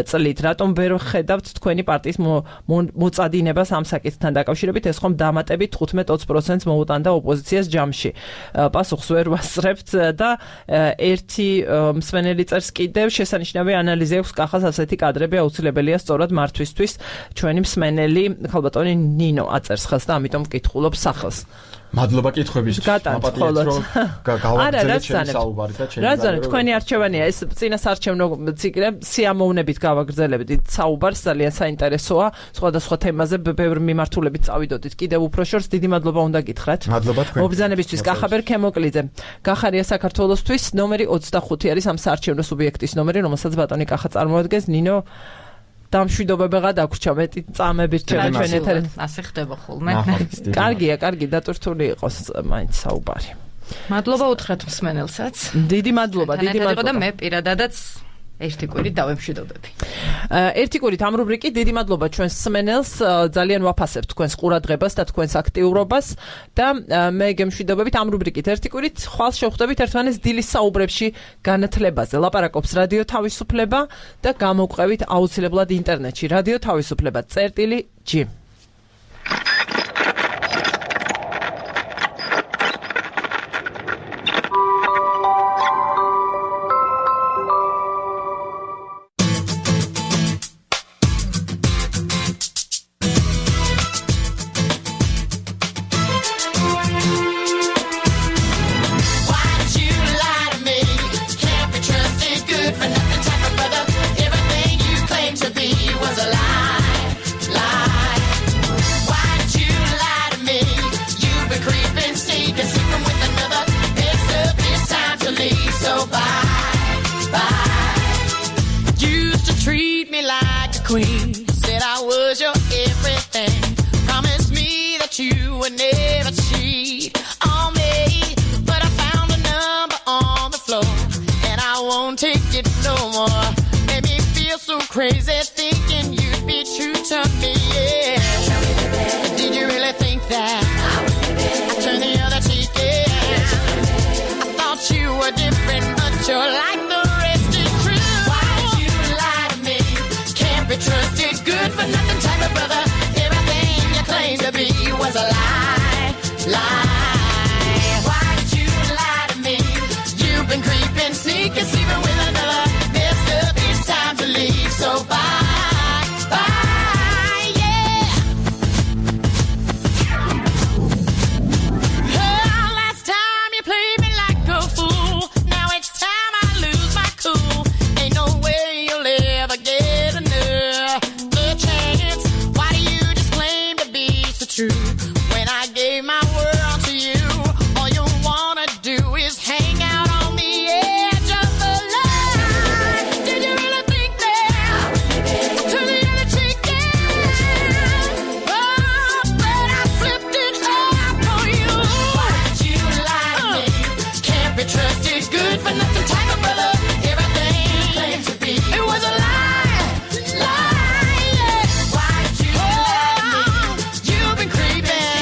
წლით. რატომ ვერ ხედავთ თქვენი პარტიის მოწადინებას ამ საკითხთან დაკავშირებით? ეს ხომ დამატებით 15-20%-ს მოუტანდა ოპოზიციას ჯამში. პასუხს ვერ ვასწრებთ და ერთი მსმენელი წერს კიდევ შესანიშნავი ანალიზი აქვს კახას ასეთი კადრები აუცილებელია სწორად მართვისთვის. ჩვენი მსმენელი ხალბატონი ნინო აწერს ხელს და ამიტომ ვკითხულობ სახელს. მადლობა კითხვებისთვის. მაპატიეთ რომ გავაგრძელეთ ჩემი საუბარი და ჩემი რა თქვენი არჩევანია ეს წინასარჩევნო ციკლი სიამოვნებით გავაგრძელებთ საუბარს ძალიან საინტერესოა სხვადასხვა თემაზე ბევრი მიმართულებით წავიდოდით კიდევ უფრო შორს დიდი მადლობა უნდა გითხრათ მადლობა თქვენ მობრძანებისთვის კახაბერ ქემოკლიძე გახარია საქართველოსთვის ნომერი 25 არის ამ საარჩევნო სუბიექტის ნომერი რომელსაც ბატონი კახა წარმოადგენს ნინო დამშვიდობებიღა დაგვრჩა მეტი წამები რჩება ჩვენ ეთერში ასე ხდება ხოლმე კარგი დატვირთული იყოს მაინც საუბარი მადლობა უთხრათ მსმენელსაც დიდი მადლობა და მე პირადადაც ერთი კვირით დავემშვიდობები. ერთი კვირით ამ რუბრიკით დიდი მადლობა ჩვენს მსმენელს ძალიან ვაფასებთ თქვენს ყურადღებას და თქვენს აქტიურობას და მე გემშვიდობებით ამ რუბრიკით ერთი კვირით ხვალ შევხვდებით ერთმანეთს დილის საუბრებში განათლებაზე. ლაპარაკობს რადიო თავისუფლება და გამოგვყევით აუცილებლად ინტერნეტში რადიო თავისუფლება წერტილი.g Queen said I was your everything. Promised me that you would never cheat on me. But I found a number on the floor, and I won't take it no more. Made me feel so crazy thinking you'd be true to me. Yeah. Did you really think that I turned the other cheek? Yeah. I thought you were different, but you're like the rest is true. Why'd you lie to me? Can't be trusted, good for nothing type of brother. Everything you claimed to be was a lie, lie. Why'd you lie to me? You've been creeping, sneaking, sleeping with another. Messed up, it's time to leave, so bye, bye, yeah. Oh, last time you played me like a fool. Now it's time I lose my cool. Ain't no way you'll ever get another chance. Why do you just claim to be so true? When I gave my world to you, all you wanna do is hang out on the edge of the line. Did you really think that to the other cheek? Yeah. Oh, but I flipped it up for you. Why'd you lie to me? Can't be trusted, good for nothing type of brother. Everything you claimed to be, it was a lie, lie. Yeah. Why'd you lie to me? You've been creeping,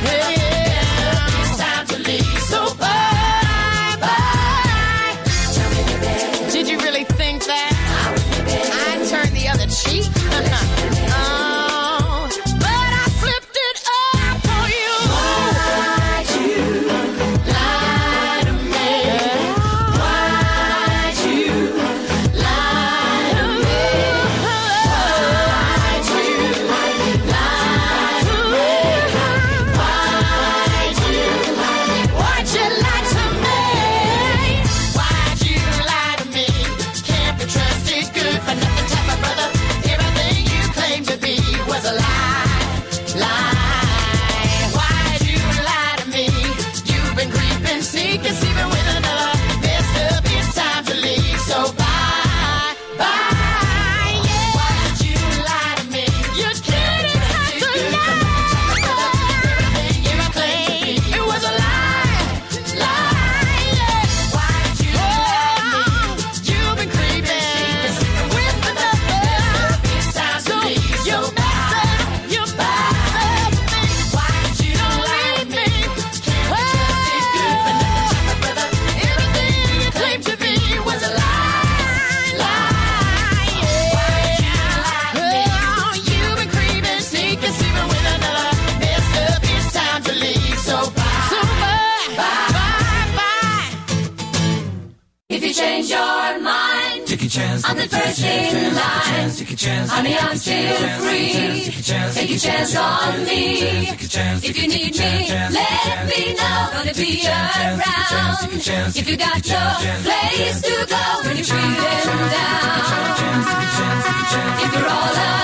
yeah. It's time to leave, so bye, bye. Did you really think that I'd turn the other cheek? Oh, but I flipped it up for you. Why'd you lie to me? Why'd you lie to me? Why'd you lie to me? Why'd you lie to me? Why'd you lie to me? Can't be trusted, good for nothing type of brother. Everything you claimed to be was a lie, lie. Why'd you lie to me? You've been creeping, sneaking, sleeping with another. Messed up, it's time to leave, so bye, bye. I'm the first in line. Honey, I'm still free. Take a chance on me. If you need me, let me know. Gonna be around. If you got no place to go when you're feeling down. If you're all alone.